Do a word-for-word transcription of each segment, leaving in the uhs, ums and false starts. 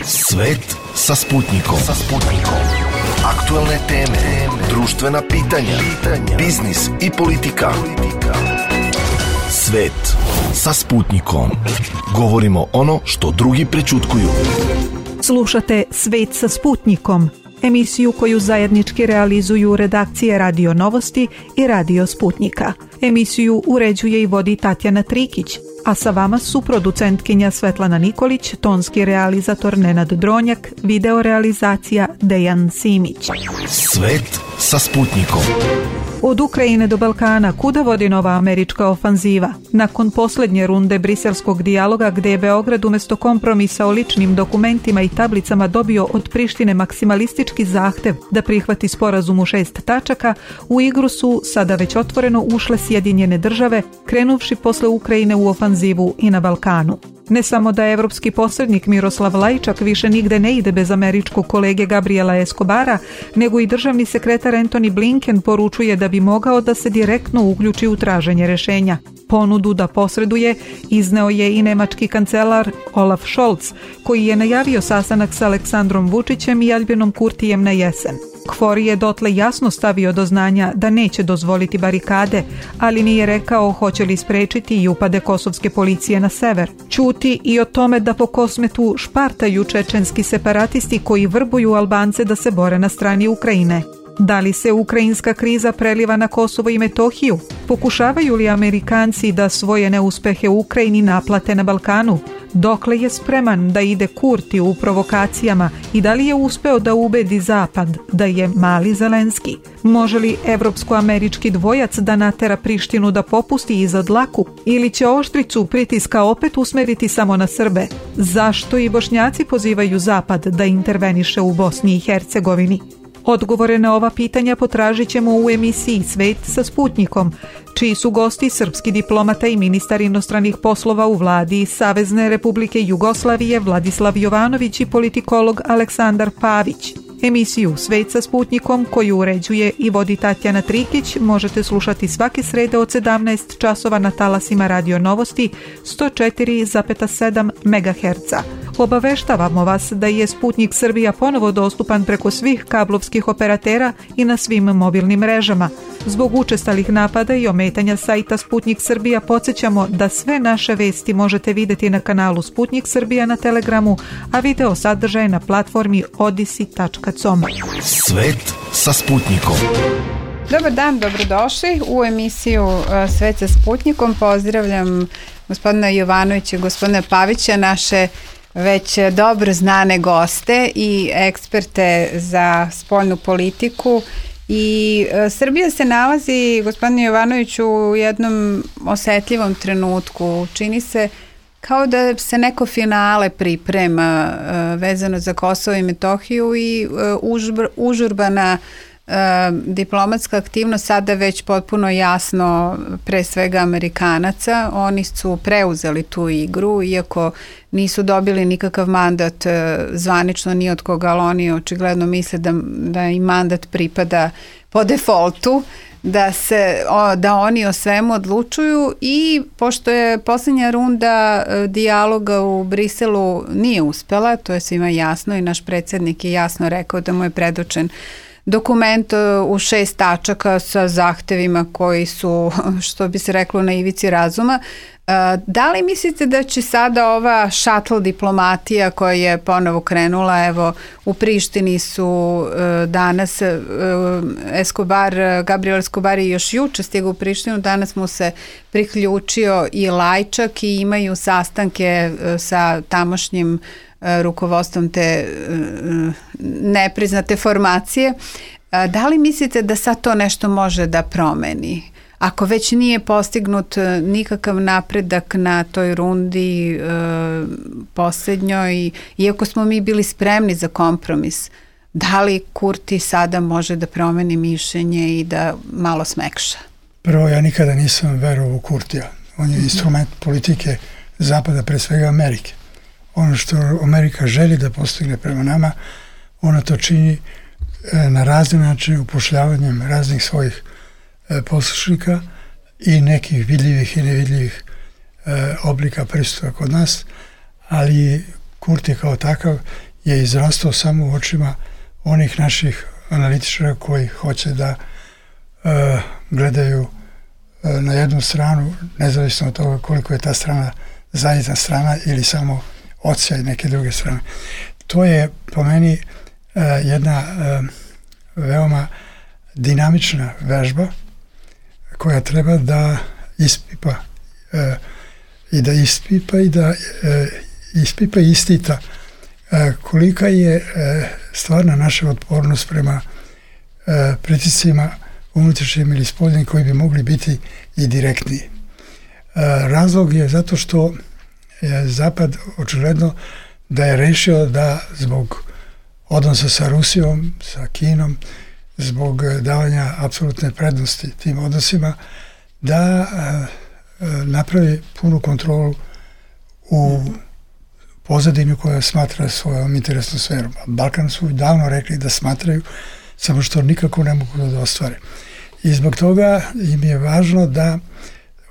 Svet sa Sputnikom. Sa Sputnikom. Aktuelne teme, društvena pitanja, pitanja, biznis i politika. Svet sa Sputnikom. Govorimo ono što drugi prećutkuju. Slušate Svet sa Sputnikom, emisiju koju zajednički realizuju redakcije Radio Novosti i Radio Sputnika. Emisiju uređuje i vodi Tatjana Trikić, a sa vama su producentkinja Svetlana Nikolić, tonski realizator Nenad Dronjak, video realizacija Dejan Simić. Svet sa Sputnikom. Od Ukrajine do Balkana, kuda vodi nova američka ofanziva? Nakon posljednje runde briselskog dijaloga, gdje je Beograd umjesto kompromisa o ličnim dokumentima i tablicama dobio od Prištine maksimalistički zahtev da prihvati sporazum u šest tačaka, u igru su sada već otvoreno ušle Sjedinjene države, krenuvši posle Ukrajine u ofanzivu i na Balkanu. Ne samo da evropski posrednik Miroslav Lajčak više nigde ne ide bez američkog kolege Gabriela Escobara, nego i državni sekretar Antony Blinken poručuje da bi mogao da se direktno uključi u traženje rješenja. Ponudu da posreduje izneo je i nemački kancelar Olaf Scholz, koji je najavio sastanak s Aleksandrom Vučićem i Albinom Kurtijem na jesen. Kvori je dotle jasno stavio do znanja da neće dozvoliti barikade, ali nije rekao hoće li sprečiti i upade kosovske policije na sever. Ćuti i o tome da po Kosmetu špartaju čečenski separatisti koji vrbuju Albance da se bore na strani Ukrajine. Da li se ukrajinska kriza preliva na Kosovo i Metohiju? Pokušavaju li Amerikanci da svoje neuspehe u Ukrajini naplate na Balkanu? Dokle je spreman da ide Kurti u provokacijama i da li je uspeo da ubedi Zapad da je mali Zelenski? Može li evropsko-američki dvojac da natera Prištinu da popusti iza dlaku? Ili će oštricu pritiska opet usmeriti samo na Srbe? Zašto i Bošnjaci pozivaju Zapad da interveniše u Bosni i Hercegovini? Odgovore na ova pitanja potražit ćemo u emisiji Svet sa Sputnikom, čiji su gosti srpski diplomata i ministar inostranih poslova u vladi Savezne Republike Jugoslavije Vladislav Jovanović i politikolog Aleksandar Pavić. Emisiju Svet sa Sputnikom, koju uređuje i vodi Tatjana Trikić, možete slušati svake srede od sedamnaest časova na talasima Radio Novosti sto četiri zarez sedam megaherca. Obaveštavamo vas da je Sputnik Srbija ponovo dostupan preko svih kablovskih operatera i na svim mobilnim mrežama. Zbog učestalih napada i ometanja sajta Sputnik Srbija podsjećamo da sve naše vesti možete vidjeti na kanalu Sputnik Srbija na Telegramu, a video sadržaj na platformi odisi tačka com. Svet sa Sputnikom. Dobar dan, dobrodošli u emisiju Svet sa Sputnikom. Pozdravljam gospodina Jovanovića i gospodina Pavića, naše već dobro znane goste i eksperte za spoljnu politiku. I e, Srbija se nalazi, gospodine Jovanoviću, u jednom osetljivom trenutku. Čini se kao da se neko finale priprema e, vezano za Kosovo i Metohiju i e, užbr, užurbana e, diplomatska aktivnost sada već potpuno jasno pre svega Amerikanaca. Oni su preuzeli tu igru, iako nisu dobili nikakav mandat e, zvanično ni od koga, ali oni očigledno misle da, da im mandat pripada po defaultu, da se o, da oni o svemu odlučuju. I pošto je posljednja runda e, dijaloga u Briselu nije uspela, to je svima jasno i naš predsjednik je jasno rekao da mu je predočen dokument u šest tačaka sa zahtevima koji su, što bi se reklo, na ivici razuma. Da li mislite da će sada ova šatl diplomatija koja je ponovo krenula, evo u Prištini su danas Escobar, Gabriel Escobar je još juče stigao u Prištinu, danas mu se priključio i Lajčak i imaju sastanke sa tamošnjim rukovodstvom te nepriznate formacije. Da li mislite da sad to nešto može da promeni? Ako već nije postignut nikakav napredak na toj rundi e, posljednjoj, iako smo mi bili spremni za kompromis, da li Kurti sada može da promeni mišljenje i da malo smekša? Prvo, ja nikada nisam verovao u Kurtija. On je instrument politike Zapada, pre svega Amerike. Ono što Amerika želi da postigne prema nama, ona to čini na razne načine, upošljavanjem raznih svojih poslušnika i nekih vidljivih i nevidljivih e, oblika pristupa kod nas, ali Kurti kao takav je izrastao samo u očima onih naših analitičara koji hoće da uh, gledaju uh, na jednu stranu, nezavisno od toga koliko je ta strana zajedna strana ili samo odsjaj neke druge strane. To je po meni uh, jedna uh, veoma dinamična vežba koja treba da ispipa uh, i da ispipa i da uh, ispipa i istita uh, kolika je uh, stvarna naša otpornost prema uh, pritiscima unutrašnjim ili spoljnim koji bi mogli biti i direktniji. Uh, razlog je zato što je Zapad očigledno da je rešio da zbog odnosa sa Rusijom, sa Kinom, zbog davanja apsolutne prednosti tim odnosima, da uh, napravi punu kontrolu u pozadini koja smatra svojom interesnom sferom. Balkan su davno rekli da smatraju, samo što nikako ne mogu da ostvare. I zbog toga im je važno da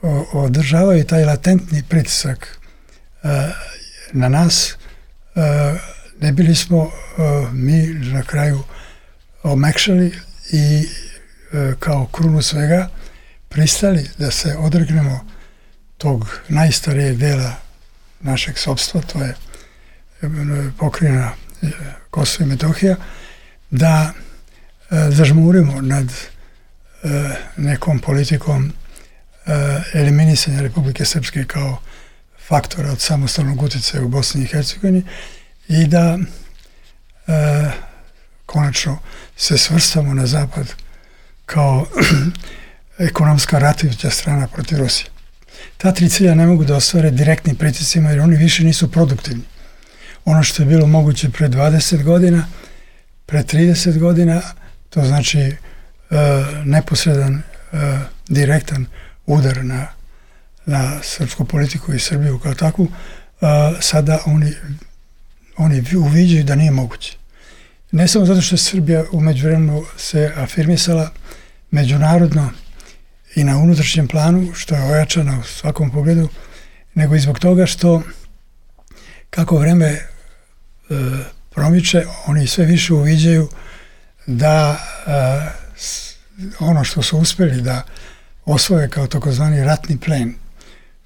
o, održavaju taj latentni pritisak uh, na nas. Uh, ne bili smo uh, mi na kraju omekšali i uh, kao krunu svega pristali da se odregnemo tog najstarijeg dela našeg sopstva, to je pokrajina Kosovo i Metohija, da uh, zažmurimo nad uh, nekom politikom uh, eliminisanja Republike Srpske kao faktora od samostalnog utjecaja u Bosni i Hercegovini i da uh, konačno se svrstamo na zapad kao ekonomska ratujuća strana protiv Rusije. Ta tri cilja ne mogu da ostvare direktnim pritiscima jer oni više nisu produktivni. Ono što je bilo moguće pre dvadeset godina, pre trideset godina, to znači uh, neposredan, uh, direktan udar na, na srpsku politiku i Srbiju kao takvu, uh, sada oni, oni uviđaju da nije moguće. Ne samo zato što je Srbija u međuvremenu se afirmisala međunarodno i na unutrašnjem planu, što je ojačano u svakom pogledu, nego i zbog toga što kako vreme e, promiče, oni sve više uviđaju da e, s, ono što su uspjeli da osvoje kao takozvani ratni plen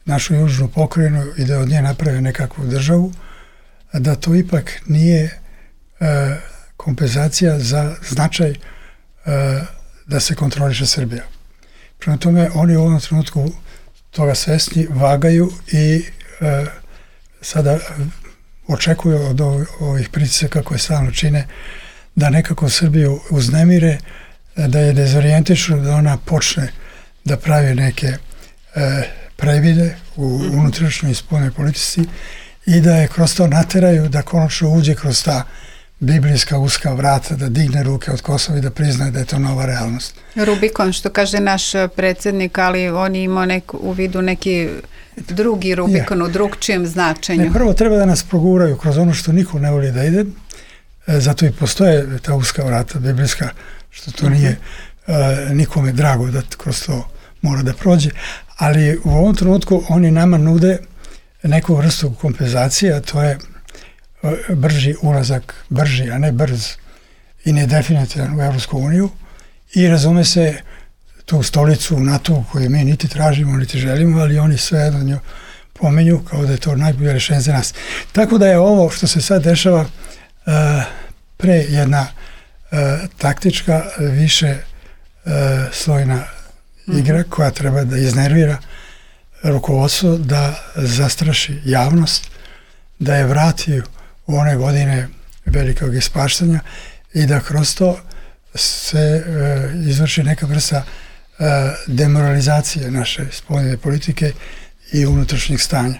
našu južnu pokrajinu i da od nje naprave nekakvu državu, da to ipak nije e, kompenzacija za značaj e, da se kontroliše Srbija. Prema tome, oni u ovom trenutku toga svesni, vagaju i e, sada očekuju od ovih pritisaka koje stalno čine da nekako Srbiju uznemire, da je dezorijentiču, da ona počne da pravi neke e, previde u unutrašnjoj i spoljnoj politici i da je kroz to nateraju da konačno uđe kroz ta biblijska uska vrata, da digne ruke od Kosova i da priznaje da je to nova realnost. Rubikon, što kaže naš predsjednik, ali on je imao nek, u vidu neki drugi Rubikon ja. u drugčijem značenju. Ne, prvo treba da nas proguraju kroz ono što niko ne voli da ide, e, zato i postoje ta uska vrata biblijska, što to nije e, nikome drago da kroz to mora da prođe, ali u ovom trenutku oni nama nude neku vrstu kompenzacije, a to je brži ulazak, brži, a ne brz i nedefinitivan u Evropsku uniju i razume se tu stolicu u NATO koju mi niti tražimo, niti želimo, ali oni sve jedno nju pomenju kao da je to najbolje rešenje za nas. Tako da je ovo što se sad dešava uh, pre jedna uh, taktička, više uh, slojna igra mm-hmm. koja treba da iznervira rukovodstvo, da zastraši javnost, da je vrati u one godine velikog ispaštanja i da kroz to se e, izvrši neka vrsta e, demoralizacije naše spoljne politike i unutrašnjih stanja.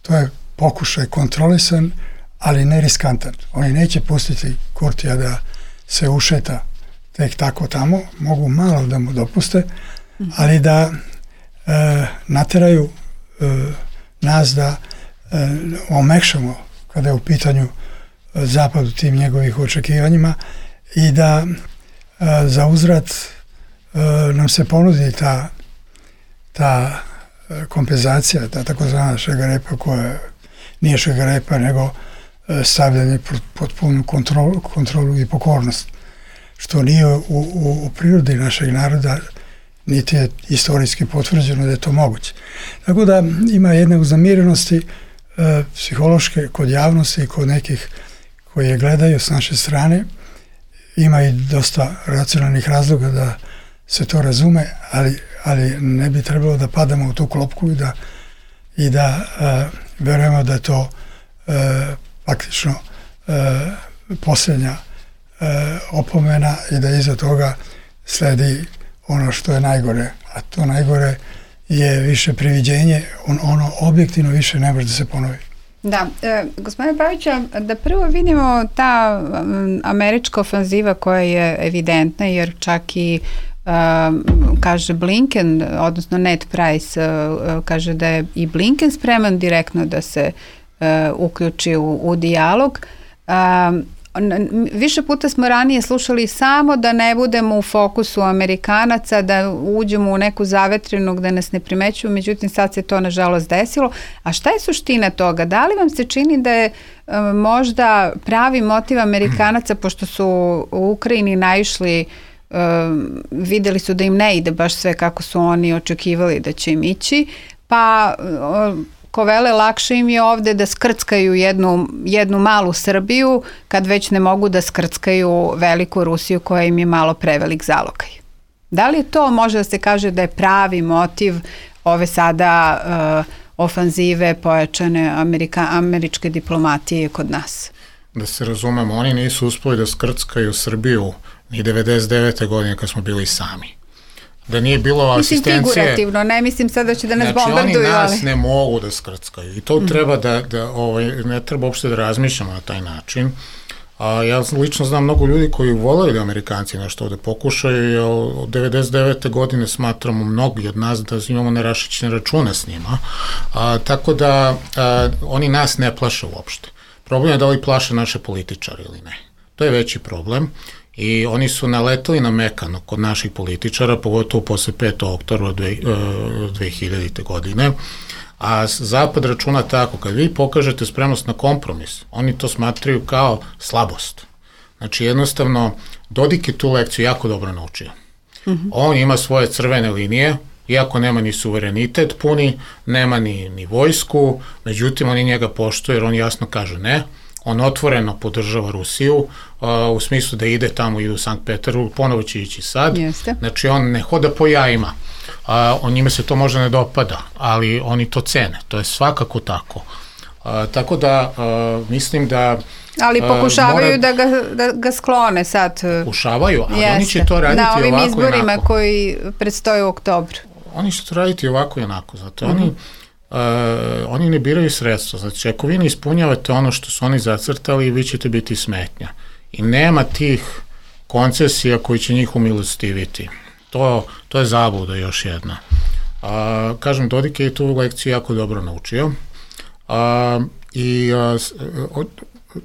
To je pokušaj kontrolisan, ali ne riskantan. Oni neće pustiti Kurtija da se ušeta tek tako tamo, mogu malo da mu dopuste, ali da e, nateraju e, nas da e, omekšamo kada je u pitanju zapad u tim njegovih očekivanjima i da a, za uzvrat a, nam se ponudi ta, ta kompenzacija, ta takozvana šegarepa koja nije šegarepa nego stavljanje pod punu kontrolu, kontrolu i pokornost, što nije u, u, u prirodi našeg naroda, niti je istorijski potvrđeno da je to moguće. Tako da ima jedne uznemirenosti e, psihološke kod javnosti i kod nekih koji je gledaju s naše strane. Ima i dosta racionalnih razloga da se to razume, ali, ali ne bi trebalo da padamo u tu klopku i da, i da e, verujemo da je to e, praktično e, posljednja e, opomena i da iza toga sledi ono što je najgore, a to najgore je više priviđenje, on, ono objektivno više ne može da se ponovi. Da, e, gospodine Pavića, da prvo vidimo ta um, američka ofanziva koja je evidentna, jer čak i um, kaže Blinken, odnosno Ned Price uh, kaže da je i Blinken spreman direktno da se uh, uključi u, u dijalog. Um, Više puta smo ranije slušali samo da ne budemo u fokusu Amerikanaca, da uđemo u neku zavetrinu gde nas ne primećuju, međutim sad se to nažalost desilo. A šta je suština toga? Da li vam se čini da je um, možda pravi motiv Amerikanaca, pošto su u Ukrajini naišli, um, videli su da im ne ide baš sve kako su oni očekivali da će im ići, pa um, ko vele, lakše im je ovde da skrckaju jednu, jednu malu Srbiju kad već ne mogu da skrckaju veliku Rusiju koja im je malo prevelik zalogaj. Da li je to, može da se kaže da je pravi motiv ove sada uh, ofanzive pojačane Amerika, američke diplomatije kod nas? Da se razumemo, oni nisu uspeli da skrckaju Srbiju ni devedeset devete godine kad smo bili sami. Da nije bilo mislim asistencije... figurativno, ne mislim sada da će da nas znači, bombarduju, ali... Znači oni nas ne mogu da skrckaju i to mm. treba da, da ovaj, ne treba uopšte da razmišljamo na taj način. A, ja lično znam mnogo ljudi koji voleli da Amerikanci nešto ovde pokušaju, jer od devedeset devete godine smatramo mnogi od nas da imamo nerašićene račune s njima, a, tako da a, oni nas ne plaše uopšte. Problem je da li plaše naše političare ili ne. To je veći problem. I oni su naletali na mekano kod naših političara, pogotovo posle petog oktobra dve hiljadite. godine, a Zapad računa tako, kad vi pokažete spremnost na kompromis, oni to smatraju kao slabost. Znači jednostavno, Dodik je tu lekciju jako dobro naučio. Mm-hmm. On ima svoje crvene linije, iako nema ni suverenitet puni, nema ni, ni vojsku, međutim oni njega poštuju jer on jasno kaže ne. On otvoreno podržava Rusiju uh, u smislu da ide tamo, ide u Sankt Peterburg, ponovo će ići sad. Jeste. Znači on ne hoda po jajima. Uh, on njima se to možda ne dopada, ali oni to cene. To je svakako tako. Uh, tako da uh, mislim da... Ali pokušavaju uh, mora, da, ga, da ga sklone sad. Pokušavaju, ali Jeste. Oni će to raditi ovako i onako. Na ovim izborima koji predstoje u oktobru. Oni će to raditi ovako i onako. Zato mm-hmm. oni... Uh, oni ne biraju sredstva, znači ako vi ne ispunjavate ono što su oni zacrtali, vi ćete biti smetnja i nema tih koncesija koji će njih umilostiviti. To, to je zabluda još jedna. Uh, kažem, Dodik je tu lekciju jako dobro naučio uh, i uh,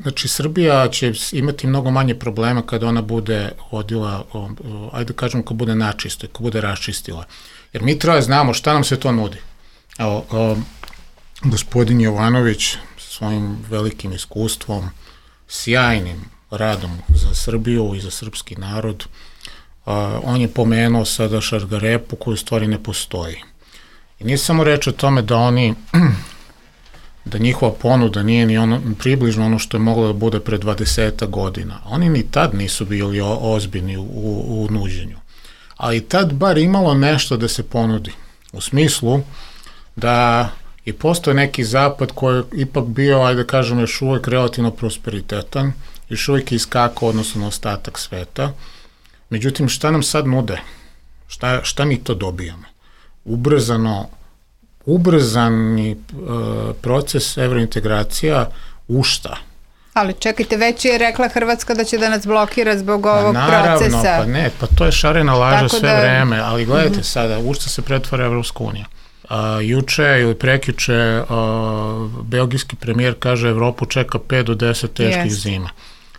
znači Srbija će imati mnogo manje problema kada ona bude odila, uh, ajde kažem, kad bude načisto, kad bude raščistila, jer mi treba znamo šta nam se to nudi. Evo, o, gospodin Jovanović svojim velikim iskustvom, sjajnim radom za Srbiju i za srpski narod, a, on je pomenuo sada šargarepu koju u stvari ne postoji. I nije samo reč o tome da oni, da njihova ponuda nije ni ono, približno ono što je moglo da bude pre dvadeset godina. Oni ni tad nisu bili o, ozbiljni u, u, u nuđenju. Ali tad bar imalo nešto da se ponudi. U smislu da i postoje neki zapad koji je ipak bio, ajde da kažem, još uvek relativno prosperitetan, još uvek je iskakao odnosno na ostatak sveta. Međutim, šta nam sad nude? Šta, šta mi to dobijamo? Ubrzano, ubrzani e, proces evrointegracija u šta? Ali čekajte, već je rekla Hrvatska da će da nas blokira zbog ovog pa, naravno, procesa. Naravno, pa ne, pa to je šarena laža sve da... vreme, ali gledajte mm-hmm. sada, u šta se pretvara Evropska unija. Uh, juče ili prekjuče uh, belgijski premijer kaže Evropu čeka pet do deset teških yes. zima.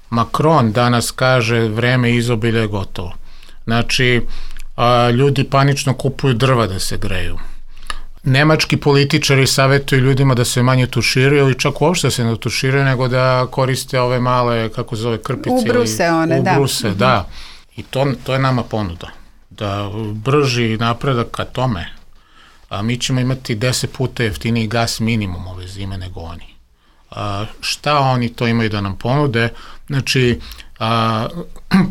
Macron danas kaže vreme izobilja je gotovo. Znači, uh, ljudi panično kupuju drva da se greju. Nemački političari savjetuju ljudima da se manje tuširaju ili čak uopšte se ne tuširaju, nego da koriste ove male, kako se zove, krpice. Ubruse one, da. Ubruse, da. I to, to je nama ponuda. Da brži napredak ka tome, a mi ćemo imati deset puta jeftiniji gas minimum ove zime nego oni. A, šta oni to imaju da nam ponude? Znači, a,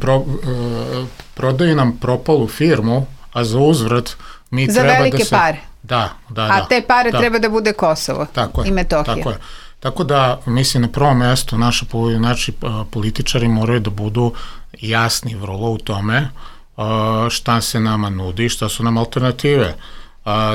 pro, a, prodaju nam propalu firmu, a za uzvrat mi za treba velike da se... pare. Da, da, a da. te pare da. treba da bude Kosovo tako je, i Metohija. Tako je. Tako da, mislim, na prvom mjestu naši, naši političari moraju da budu jasni vrlo u tome šta se nama nudi, šta su nam alternative.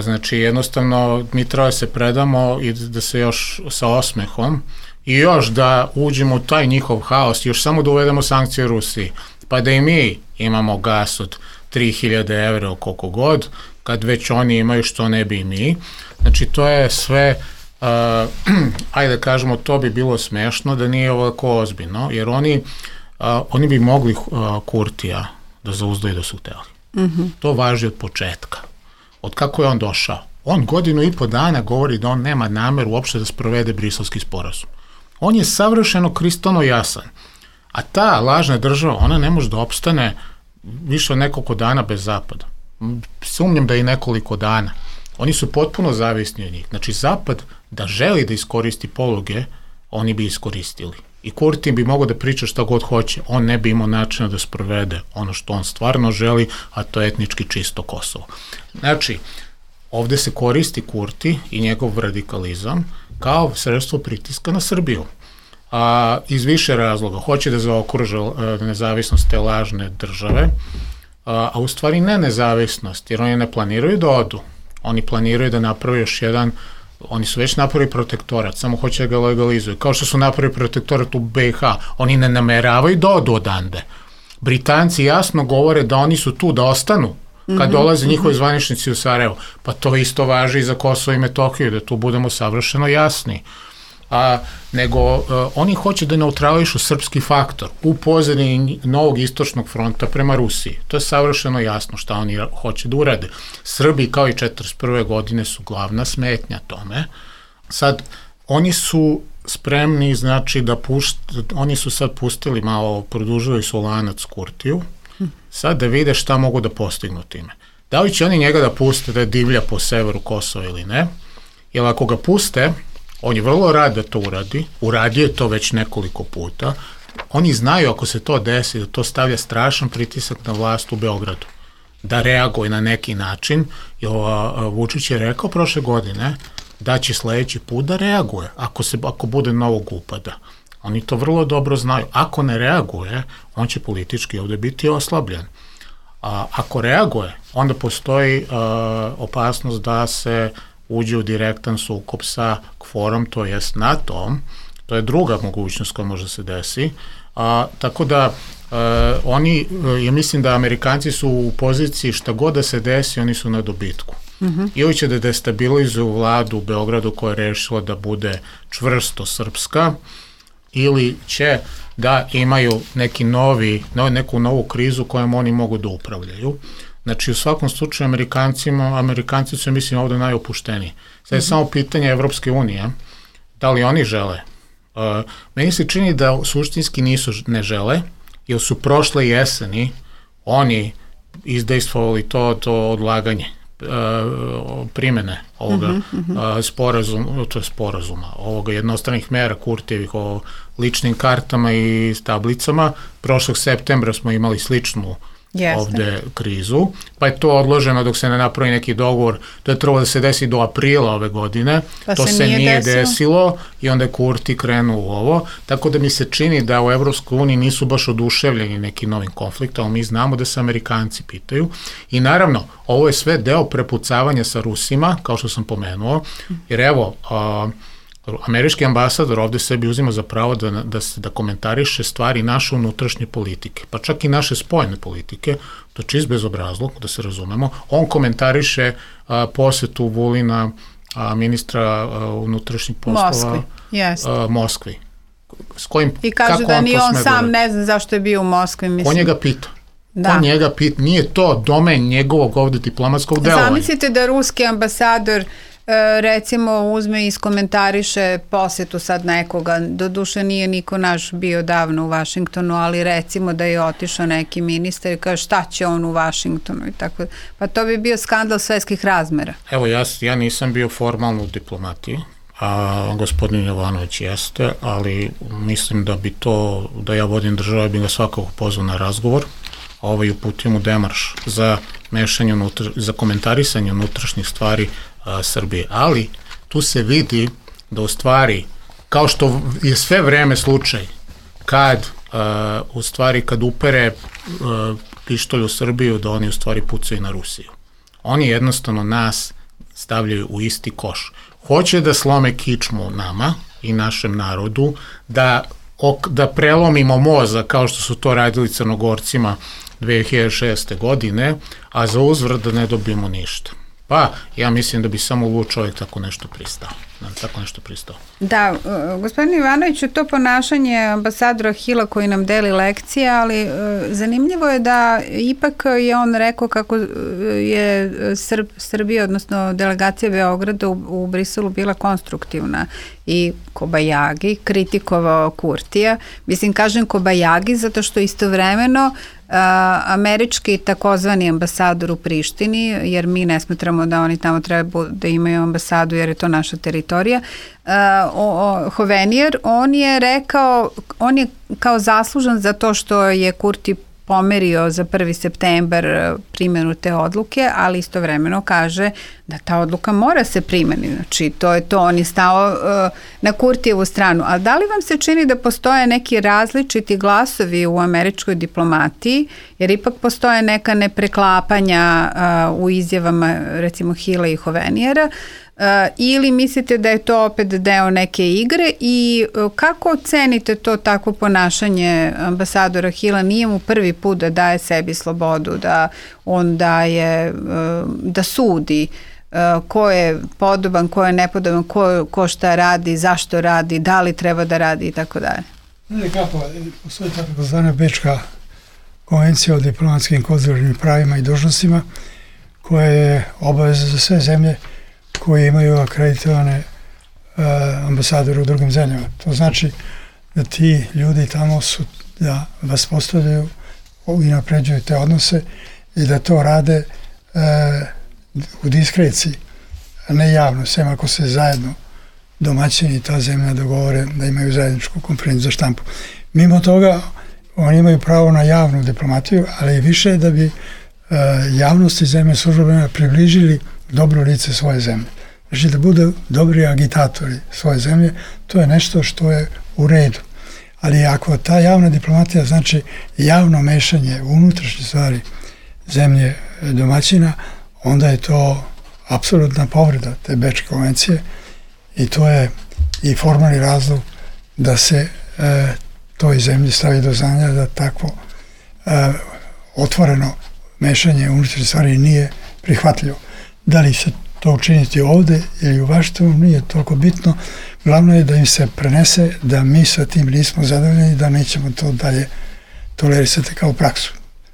Znači, jednostavno, mi treba da se predamo i da se još sa osmehom i još da uđemo u taj njihov haos, još samo da uvedemo sankcije Rusiji, pa da i mi imamo gas od tri hiljade evra koliko god, kad već oni imaju, što ne bi i mi. Znači, to je sve, uh, ajde da kažemo, to bi bilo smešno da nije ovako ozbiljno, jer oni, uh, oni bi mogli uh, Kurtija da zauzdaju da su hteli. Mm-hmm. To važi od početka. Od kako je on došao. On godinu i po dana govori da on nema nameru uopšte da sprovede Briselski sporazum. On je savršeno kristalno jasan. A ta lažna država, ona ne može da opstane više od nekoliko dana bez Zapada. Sumnjam da i nekoliko dana. Oni su potpuno zavisni od njih. Znači, Zapad da želi da iskoristi poluge, oni bi iskoristili. I Kurti bi mogao da priča šta god hoće. On ne bi imao načina da sprovede ono što on stvarno želi, a to je etnički čisto Kosovo. Znači, ovde se koristi Kurti i njegov radikalizam kao sredstvo pritiska na Srbiju. A, iz više razloga. Hoće da zaokruže nezavisnost te lažne države, a, a u stvari ne nezavisnost, jer oni ne planiraju da odu. Oni planiraju da naprave još jedan, oni su već napravili protektorat, samo hoće da ga legalizuju. Kao što su napravili protektorat u B i H, oni ne nameravaju da odu odande. Britanci jasno govore da oni su tu da ostanu kad mm-hmm. dolaze njihovi zvaničnici u Sarajevo. Pa to isto važi i za Kosovo i Metohiju, da tu budemo savršeno jasni. A, nego uh, oni hoće da neutrališu srpski faktor u pozadini novog istočnog fronta prema Rusiji. To je savršeno jasno šta oni hoće da urade. Srbi kao i četrdeset prve godine su glavna smetnja tome. Sad, oni su spremni, znači da pušt, oni su sad pustili malo, produžili su lanac Kurtiju, sad da vide šta mogu da postignu time. Da li će oni njega da puste da divlja po severu Kosova ili ne, jer ako ga puste, on je vrlo rad da to uradi, uradio je to već nekoliko puta, oni znaju ako se to desi da to stavlja strašan pritisak na vlast u Beogradu, da reaguje na neki način, jer Vučić je rekao prošle godine da će sledeći put da reaguje ako, se, ako bude novog upada. Oni to vrlo dobro znaju. Ako ne reaguje, on će politički ovde biti oslabljen. A, ako reaguje, onda postoji a, opasnost da se uđe u direktan sukob sa KFOR-om, to jest NATO-om. To je druga mogućnost koja može se desi. A, tako da a, oni, ja mislim da Amerikanci su u poziciji šta god da se desi, oni su na dobitku. Mm-hmm. Ili će da destabilizuju vladu u Beogradu koja je rešila da bude čvrsto srpska, ili će da imaju neki novi, neku novu krizu kojom oni mogu da upravljaju. Znači, u svakom slučaju, Amerikancima, Amerikanci su, mislim, ovde najopušteniji. Sad je mm-hmm. samo pitanje Evropske unije, da li oni žele. Uh, meni se čini da suštinski nisu, ne žele, jer su prošle jeseni oni izdejstvovali to, to odlaganje primene ovoga mm-hmm. sporazuma, to je sporazuma, ovoga jednostranih mera Kurtijevih o ličnim kartama i tablicama. Prošlog septembra smo imali sličnu Jeste. ovde krizu, pa je to odloženo dok se ne napravi neki dogovor. To je trebalo da se desi do aprila ove godine, pa to se, se nije, nije desilo. desilo i onda je Kurti krenuo u ovo, tako da mi se čini da u Evropskoj uniji nisu baš oduševljeni nekim novim konfliktom, ali mi znamo da se Amerikanci pitaju i naravno, ovo je sve deo prepucavanja sa Rusima, kao što sam pomenuo, jer evo, a, američki ambasador ovde sebi uzima za pravo da, da, se, da komentariše stvari naše unutrašnje politike, pa čak i naše spoljne politike, to je čist bezobrazluk, da se razumemo. On komentariše a, posetu Vulina, a, ministra a, unutrašnjih poslova Moskvi, yes. a, Moskvi. S kojim, I kaže da ni on, on sam ne zna zašto je bio u Moskvi. Mislim. Ko njega pita? Da. Ko njega pit, nije to domen njegovog ovde diplomatskog delovanja. Zamislite da ruski ambasador recimo uzme i iskomentariše posetu sad nekoga, doduše nije niko naš bio davno u Vašingtonu, ali recimo da je otišao neki ministar i kaže šta će on u Vašingtonu i tako, pa to bi bio skandal svetskih razmera. Evo ja, ja nisam bio formalno u diplomatiji, a gospodin Jovanović jeste, ali mislim da bi to, da ja vodim državu, bi ga svakako pozvao na razgovor, a ovaj uputio mu demarš za mešanje, unutra, za komentarisanje unutrašnjih stvari a, Srbije. Ali tu se vidi da u stvari, kao što je sve vreme slučaj, kad a, u stvari kad upere a, pištolj u Srbiju, da oni u stvari pucaju na Rusiju. Oni jednostavno nas stavljaju u isti koš. Hoće da slome kičmu nama i našem narodu, da, ok, da prelomimo mozak kao što su to radili Crnogorcima dve hiljade šeste. godine, a za uzvrat da ne dobijemo ništa. Pa, ja mislim da bi samo lud čovjek tako nešto pristao. Tako nešto pristao. Da, gospodin Ivanoviću, to ponašanje ambasadora Hila koji nam deli lekcije, ali zanimljivo je da ipak je on rekao kako je Srb, Srbija, odnosno delegacija Beograda u, u Briselu bila konstruktivna i Kobajagi kritikovao Kurtija. Mislim, kažem Kobajagi zato što istovremeno Uh, američki takozvani ambasador u Prištini, jer mi ne smatramo da oni tamo treba da imaju ambasadu jer je to naša teritorija, uh, o, o, Hovenijer, on je rekao, on je kao zaslužan za to što je Kurti pomerio za prvi septembar primjenu te odluke, ali istovremeno kaže da ta odluka mora se primjeni. Znači, to je to, on je stao uh, na Kurtijevu stranu. Ali da li vam se čini da postoje neki različiti glasovi u američkoj diplomatiji, jer ipak postoje neka nepreklapanja uh, u izjavama, recimo, Hila i Hovenijera, Uh, ili mislite da je to opet deo neke igre i uh, kako ocenite to takvo ponašanje ambasadora Hila? Nije mu prvi put da daje sebi slobodu, da on daje, uh, da sudi uh, ko je podoban, ko je nepodoban, ko, ko šta radi, zašto radi, da li treba da radi i tako dalje. Ne, kako, postoji tako zvana Bečka konvencija o diplomatskim konzularnim pravima i dužnostima koja je obaveza za sve zemlje koji imaju akreditovane uh, ambasadore u drugim zemljama. To znači da ti ljudi tamo su da vas postavljaju i napređuju te odnose i da to rade uh, u diskreciji, a ne javno, sem ako se zajedno domaćini i ta zemlja dogovore da imaju zajedničku konferenciju za štampu. Mimo toga, oni imaju pravo na javnu diplomatiju, ali više da bi uh, javnosti zemlje službeno približili dobro lice svoje zemlje. Znači da budu dobri agitatori svoje zemlje, to je nešto što je u redu. Ali ako ta javna diplomatija znači javno mešanje u unutrašnje stvari zemlje domaćina, onda je to apsolutna povreda te Bečke konvencije i to je i formalni razlog da se e, toj zemlji stavi do znanja da takvo e, otvoreno mešanje u unutrašnje stvari nije prihvatljivo. Da li se to učiniti ovde ili u Vašingtonu nije toliko bitno. Glavno je da im se prenese da mi sa tim nismo zadovoljni i da nećemo to dalje tolerisati kao praksu.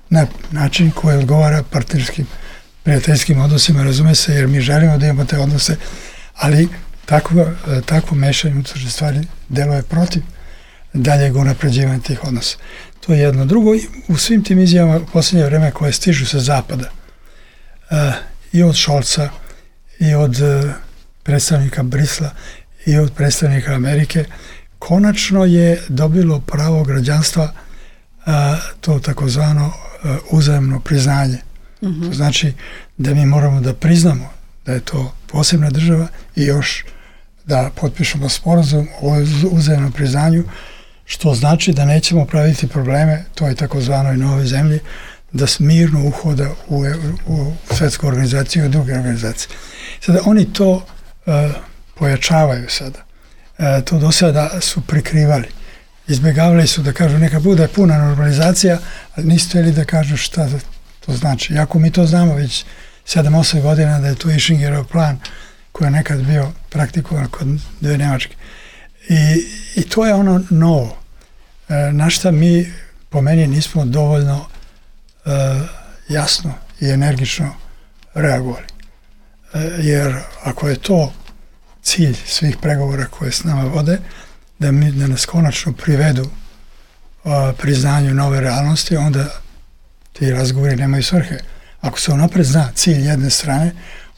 Na način koji odgovara partnerskim, prijateljskim odnosima, razume se, jer mi želimo da imamo te odnose, ali takvo, takvo mešanje unutrašnje stvari deluje protiv daljeg unapređivanja tih odnosa. To je jedno. Drugo, u svim tim izjavama u posljednje vreme koje stižu sa zapada, uh, i od Šolca, i od uh, predstavnika Brisla, i od predstavnika Amerike, konačno je dobilo pravo građanstva uh, to takozvano uh, uzajamno priznanje. Mm-hmm. To znači da mi moramo da priznamo da je to posebna država i još da potpišemo sporazum o uzajamnom priznanju, što znači da nećemo praviti probleme toj takozvanoj nove zemlji, da mirno uhoda u, u svetsku organizaciju i druge organizacije. Sada oni to uh, pojačavaju sada. Uh, to do sada su prikrivali. Izbjegavali su da kažu neka bude puna normalizacija, ali nisu htjeli da kažu šta to znači. Iako mi to znamo već sedam osam godina da je to Ishingerov plan koji je nekad bio praktikovan kod dve Nemačke. I, i to je ono novo. Uh, na šta mi po meni nismo dovoljno jasno i energično reagovali. Jer ako je to cilj svih pregovora koje s nama vode, da, mi, da nas konačno privedu a, priznanju nove realnosti, onda ti razgovori nemaju svrhe. Ako se unapred zna cilj jedne strane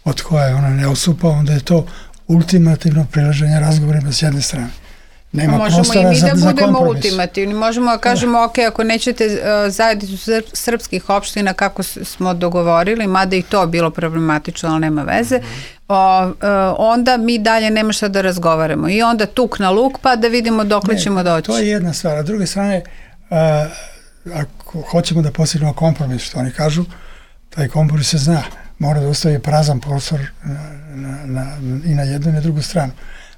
od koje ona ne odstupa, onda je to ultimativno prilaženje razgovorima s jedne strane. Nema možemo i mi za, da za budemo kompromis. ultimativni. Možemo da kažemo, da. ok, ako nećete uh, zajednicu sr- srpskih opština kako s- smo dogovorili, mada i to bilo problematično, ali nema veze, mm-hmm. o, uh, onda mi dalje nema šta da razgovaramo. I onda tuk na luk, pa da vidimo dokle ne, ćemo doći. To je jedna stvar. A s druge strane, uh, ako hoćemo da postignemo kompromis, što oni kažu, taj kompromis se zna. Mora da ostavi prazan prostor na, na, na, i na jednu i na drugu stranu,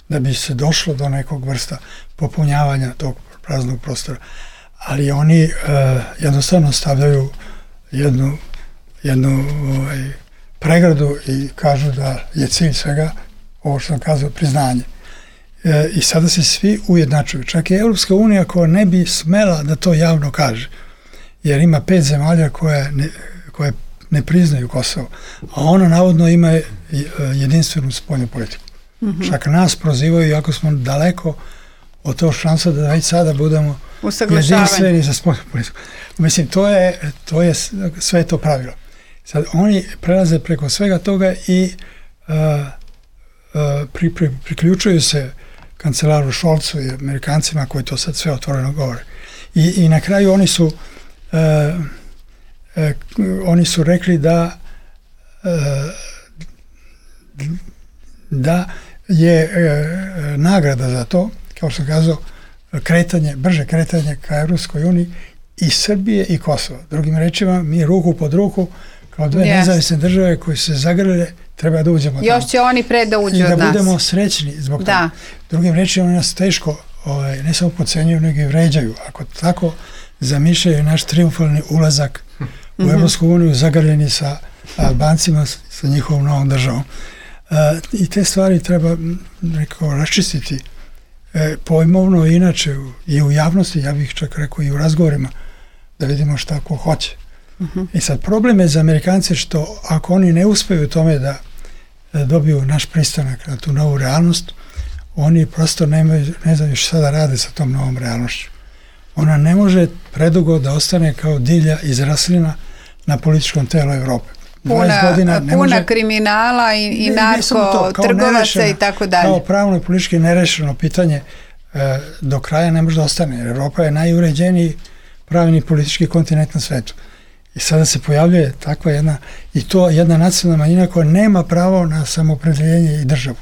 da bi se došlo do nekog vrsta popunjavanja tog praznog prostora. Ali oni uh, jednostavno stavljaju jednu, jednu ovaj, pregradu i kažu da je cilj svega, ovo što sam kazao, priznanje. E, I sada se svi ujednačuju. Čak i Europska unija koja ne bi smela da to javno kaže, jer ima pet zemalja koje ne, koje ne priznaju Kosovo, a ona navodno ima jedinstvenu spoljnu politiku. Mm-hmm. Čak nas prozivaju, iako smo daleko od tog šansa da već sada budemo jedinstveni za spoljnu politiku. Mislim, to je, to je sve to pravilo. Sad, oni prelaze preko svega toga i uh, uh, pri, pri, priključuju se kancelaru Šolcu i Amerikancima koji to sad sve otvoreno govore. I, i na kraju oni su uh, uh, oni su rekli da uh, da je uh, nagrada za to, kao što sam kazao, kretanje, brže kretanje ka Evropskoj uniji i Srbije i Kosova. Drugim rečima, mi ruku pod ruku kao dve yes. nezavisne države koje se zagrle, treba da uđemo Još tamo. će oni pre da uđu I od da nas. budemo srećni zbog da. toga. Drugim rečima, oni nas teško ovaj, ne samo podcenjuju, nego i vređaju. Ako tako zamišljaju naš triumfalni ulazak u mm-hmm. Evropsku uniju, zagrljeni sa Albancima, sa njihovom novom državom. Uh, I te stvari treba rekao, raščistiti e, pojmovno i inače i u javnosti, ja bih čak rekao i u razgovorima, da vidimo šta ko hoće. Uh-huh. I sad problem je za Amerikance što ako oni ne uspeju u tome da, da dobiju naš pristanak na tu novu realnost, oni prosto nemaju, ne znaju šta da rade sa tom novom realnošću. Ona ne može predugo da ostane kao divlja izraslina na političkom telu Evrope. Puna, godina ne puna može, kriminala i, i narko, trgovaca i tako dalje. Kao pravno i politički nerešeno pitanje e, do kraja ne može da ostane. Evropa je najuređeniji pravni i politički kontinent na svetu. I sada se pojavljuje takva jedna, i to jedna nacionalna manjina koja nema pravo na samoopredjeljenje i državu.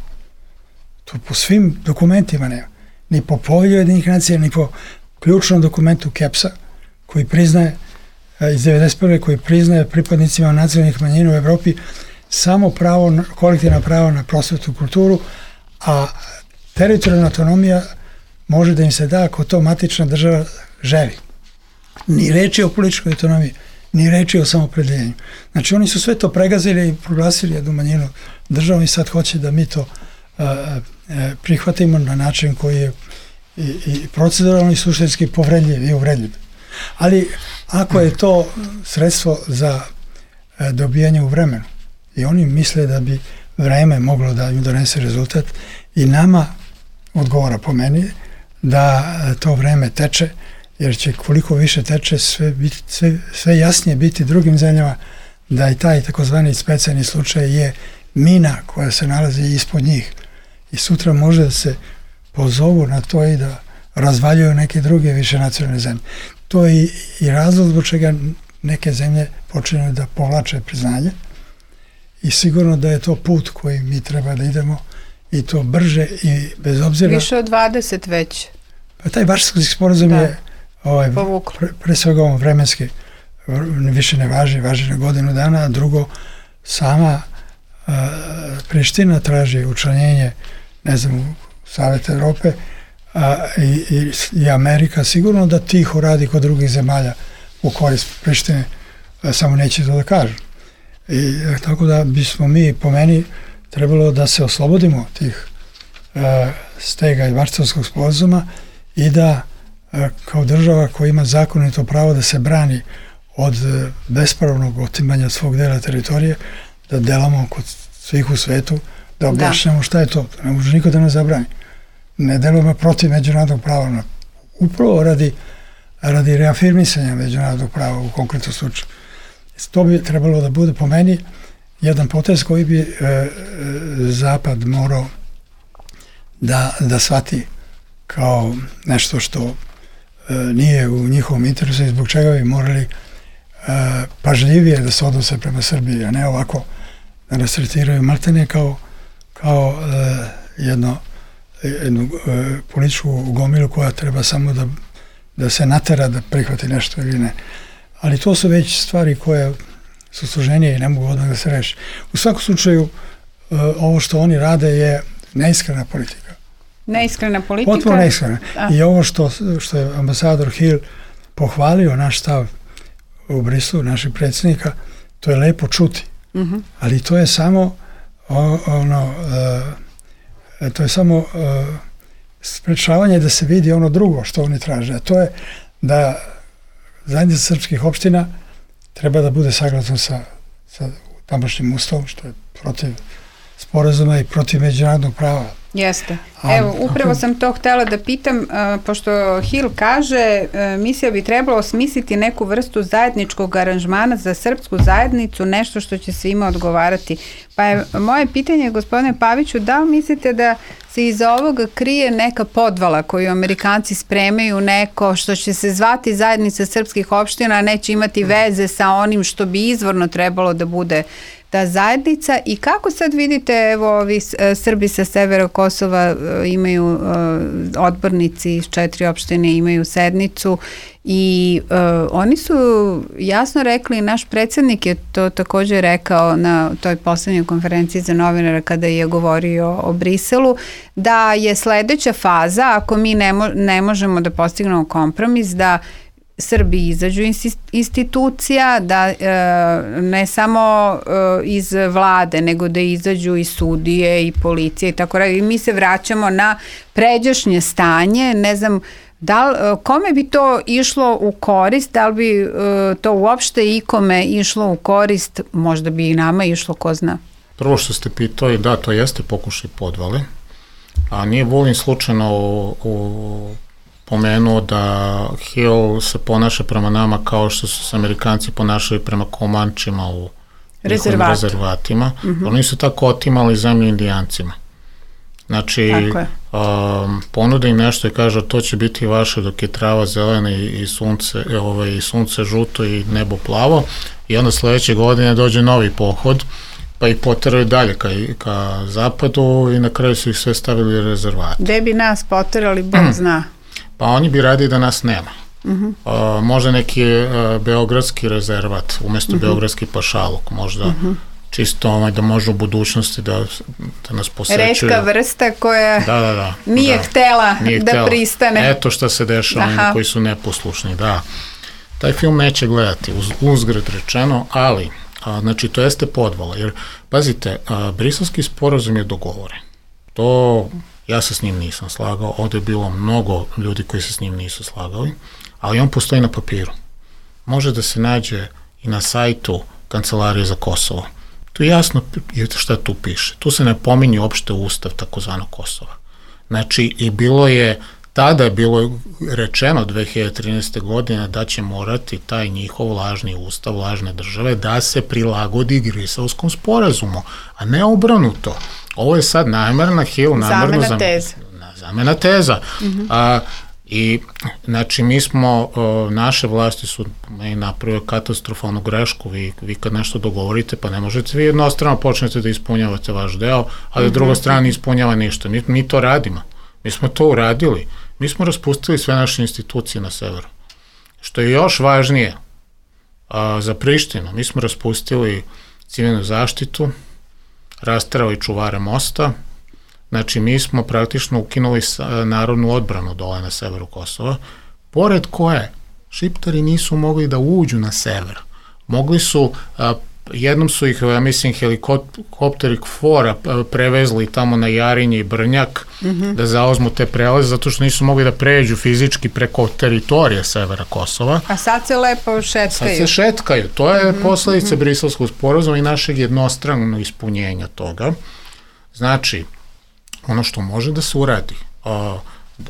To po svim dokumentima nema. Ni po povelju Ujedinjenih nacija, ni po ključnom dokumentu Kepsa, koji priznaje iz devedeset prve koji priznaje pripadnicima nacionalnih manjina u Evropi samo pravo, kolektivna prava na prosvetu i kulturu, a teritorijalna autonomija može da im se da ako to matična država želi. Ni reči o političkoj autonomiji, ni reči o samoopredjeljenju. Znači oni su sve to pregazili i proglasili jednu manjinu državom i sad hoće da mi to uh, uh, prihvatimo na način koji je i, i proceduralno i suštinski povredljiv i uvredljiv. Ali ako je to sredstvo za e, dobijanje u vremenu i oni misle da bi vreme moglo da im donese rezultat i nama odgovara po meni da to vreme teče, jer će koliko više teče sve, biti, sve, sve jasnije biti drugim zemljama da i taj takozvani specijalni slučaj je mina koja se nalazi ispod njih i sutra može da se pozovu na to i da razvaljuju neke druge više nacionalne zemlje. To je i, i razlog zbog čega neke zemlje počinju da povlače priznanje i sigurno da je to put koji mi treba da idemo i to brže i bez obzira... Više od dvadeset već. Pa taj Varšavski sporazum je ovaj, pre, pre svega ovom vremenski više ne važi, važi na godinu dana, a drugo sama uh, Priština traži učlanjenje, ne znam, Saveta Evrope, A, i, i, i Amerika sigurno da tiho radi kod drugih zemalja u korist Prištine, samo neće to da kažu. I tako da bismo mi, po meni, trebalo da se oslobodimo tih a, stega i Varšavskog sporazuma i da a, kao država koja ima zakonito pravo da se brani od bespravnog otimanja svog dela teritorije, da delamo kod svih u svetu, da objašnjamo šta je to. Ne može niko da nas zabrani. Ne delujemo protiv međunarodnog prava, upravo radi, radi reafirmisanja međunarodnog prava u konkretnom slučaju. To bi trebalo da bude po meni jedan potez koji bi e, e, Zapad morao da, da shvati kao nešto što e, nije u njihovom interesu i zbog čega bi morali e, pažljivije da se odnose prema Srbiji, a ne ovako da nas tretiraju maltene kao, kao e, jedno, jednu e, političku gomilu koja treba samo da, da se natera da prihvati nešto ili ne. Ali to su već stvari koje su složenije i ne mogu odmah da se reši. U svakom slučaju, e, ovo što oni rade je neiskrena politika. Neiskrena politika? Potpuno neiskrena. A. I ovo što, što je ambasador Hill pohvalio naš stav u Briselu, naših predsjednika, to je lepo čuti. Uh-huh. Ali to je samo o, ono, e, to je samo e, sprečavanje da se vidi ono drugo što oni traže. A to je da zajednica srpskih opština treba da bude saglasna sa, sa tamošnjim ustavom, što je protiv sporazuma i protiv međunarodnog prava. Jeste. Evo, upravo sam to htjela da pitam, uh, pošto Hill kaže, uh, misija bi trebalo osmisliti neku vrstu zajedničkog aranžmana za srpsku zajednicu, nešto što će svima odgovarati. Pa je moje pitanje, gospodine Paviću, da li mislite da se iza ovoga krije neka podvala koju Amerikanci spremaju, neko što će se zvati zajednica srpskih opština, a neće imati veze sa onim što bi izvorno trebalo da bude ta zajednica, i kako sad vidite, evo, ovi Srbi sa severa Kosova imaju odbornici iz četiri opštine, imaju sednicu i uh, oni su jasno rekli, naš predsjednik je to također rekao na toj poslednjoj konferenciji za novinara kada je govorio o Briselu, da je sledeća faza, ako mi ne, mo- ne možemo da postignemo kompromis, da Srbi izađu iz institucija, da e, ne samo e, iz vlade, nego da izađu i sudije i policije i tako dalje. I mi se vraćamo na pređašnje stanje, ne znam, da li, kome bi to išlo u korist, da li bi e, to uopšte ikome išlo u korist, možda bi i nama išlo, ko zna. Prvo što ste pitali, da, to jeste pokušaj podvale, a nije Vulin slučajno u, u pomenuo da Hill se ponaša prema nama kao što su se Amerikanci ponašali prema Komančima u njihovim rezervatima. Mm-hmm. Oni su tako otimali zemlju Indijancima. Znači, um, ponude im nešto i kaže to će biti vaše dok je trava zelena i, i, sunce, ovaj, i sunce žuto i nebo plavo, i onda sledeće godine dođe novi pohod, pa ih poteraju dalje ka, ka zapadu i na kraju su ih sve stavili u rezervate. Gde bi nas poterali, Bog zna. Pa oni bi radili da nas nema. Uh-huh. Uh, možda neki uh, beogradski rezervat, umesto uh-huh. beogradski pašaluk, možda uh-huh. čisto ovaj, da može u budućnosti da, da nas posećuju. Retka vrsta koja da, da, da, nije, da. htela nije da htela. pristane. Eto šta se dešava onima koji su neposlušni, da. Taj film neće gledati, uz, uzgred rečeno, ali, a, znači, to jeste podvala, jer, pazite, a, briselski sporazum je dogovoren. To... Ja se s njim nisam slagao, ovde je bilo mnogo ljudi koji se s njim nisu slagali, ali on postoji na papiru. Može da se nađe i na sajtu Kancelarije za Kosovo. Tu jasno šta tu piše. Tu se ne pominje uopšte ustav takozvano Kosova. Znači, i bilo je, tada je bilo rečeno dve hiljade trinaeste. godine da će morati taj njihov lažni ustav, lažne države, da se prilagodi Briselskom sporazumu, a ne obrnuto. Ovo je sad namerna Hill, namerno zamena teza. Zamena teza. Mm-hmm. A, I, znači, mi smo, o, naše vlasti su napravili katastrofalnu grešku, vi, vi kad nešto dogovorite, pa ne možete vi jednostrano počnete da ispunjavate vaš deo, ali mm-hmm. druga strana ne ispunjava ništa. Mi, mi to radimo. Mi smo to uradili. Mi smo raspustili sve naše institucije na severu. Što je još važnije a, za Prištinu, mi smo raspustili civilnu zaštitu, rasterali čuvare mosta, znači mi smo praktično ukinuli narodnu odbranu dole na severu Kosova, pored koje Šiptari nisu mogli da uđu na sever. Mogli su a, jednom su ih, ja mislim, helikopteri KFOR-a prevezli tamo na Jarinje i Brnjak mm-hmm. da zauzmu te prelaze, zato što nisu mogli da pređu fizički preko teritorije severa Kosova. A sad se lepo šetkaju. Sad se šetkaju. To je mm-hmm. posledica mm-hmm. Briselskog sporazuma i našeg jednostranog ispunjenja toga. Znači, ono što može da se uradi,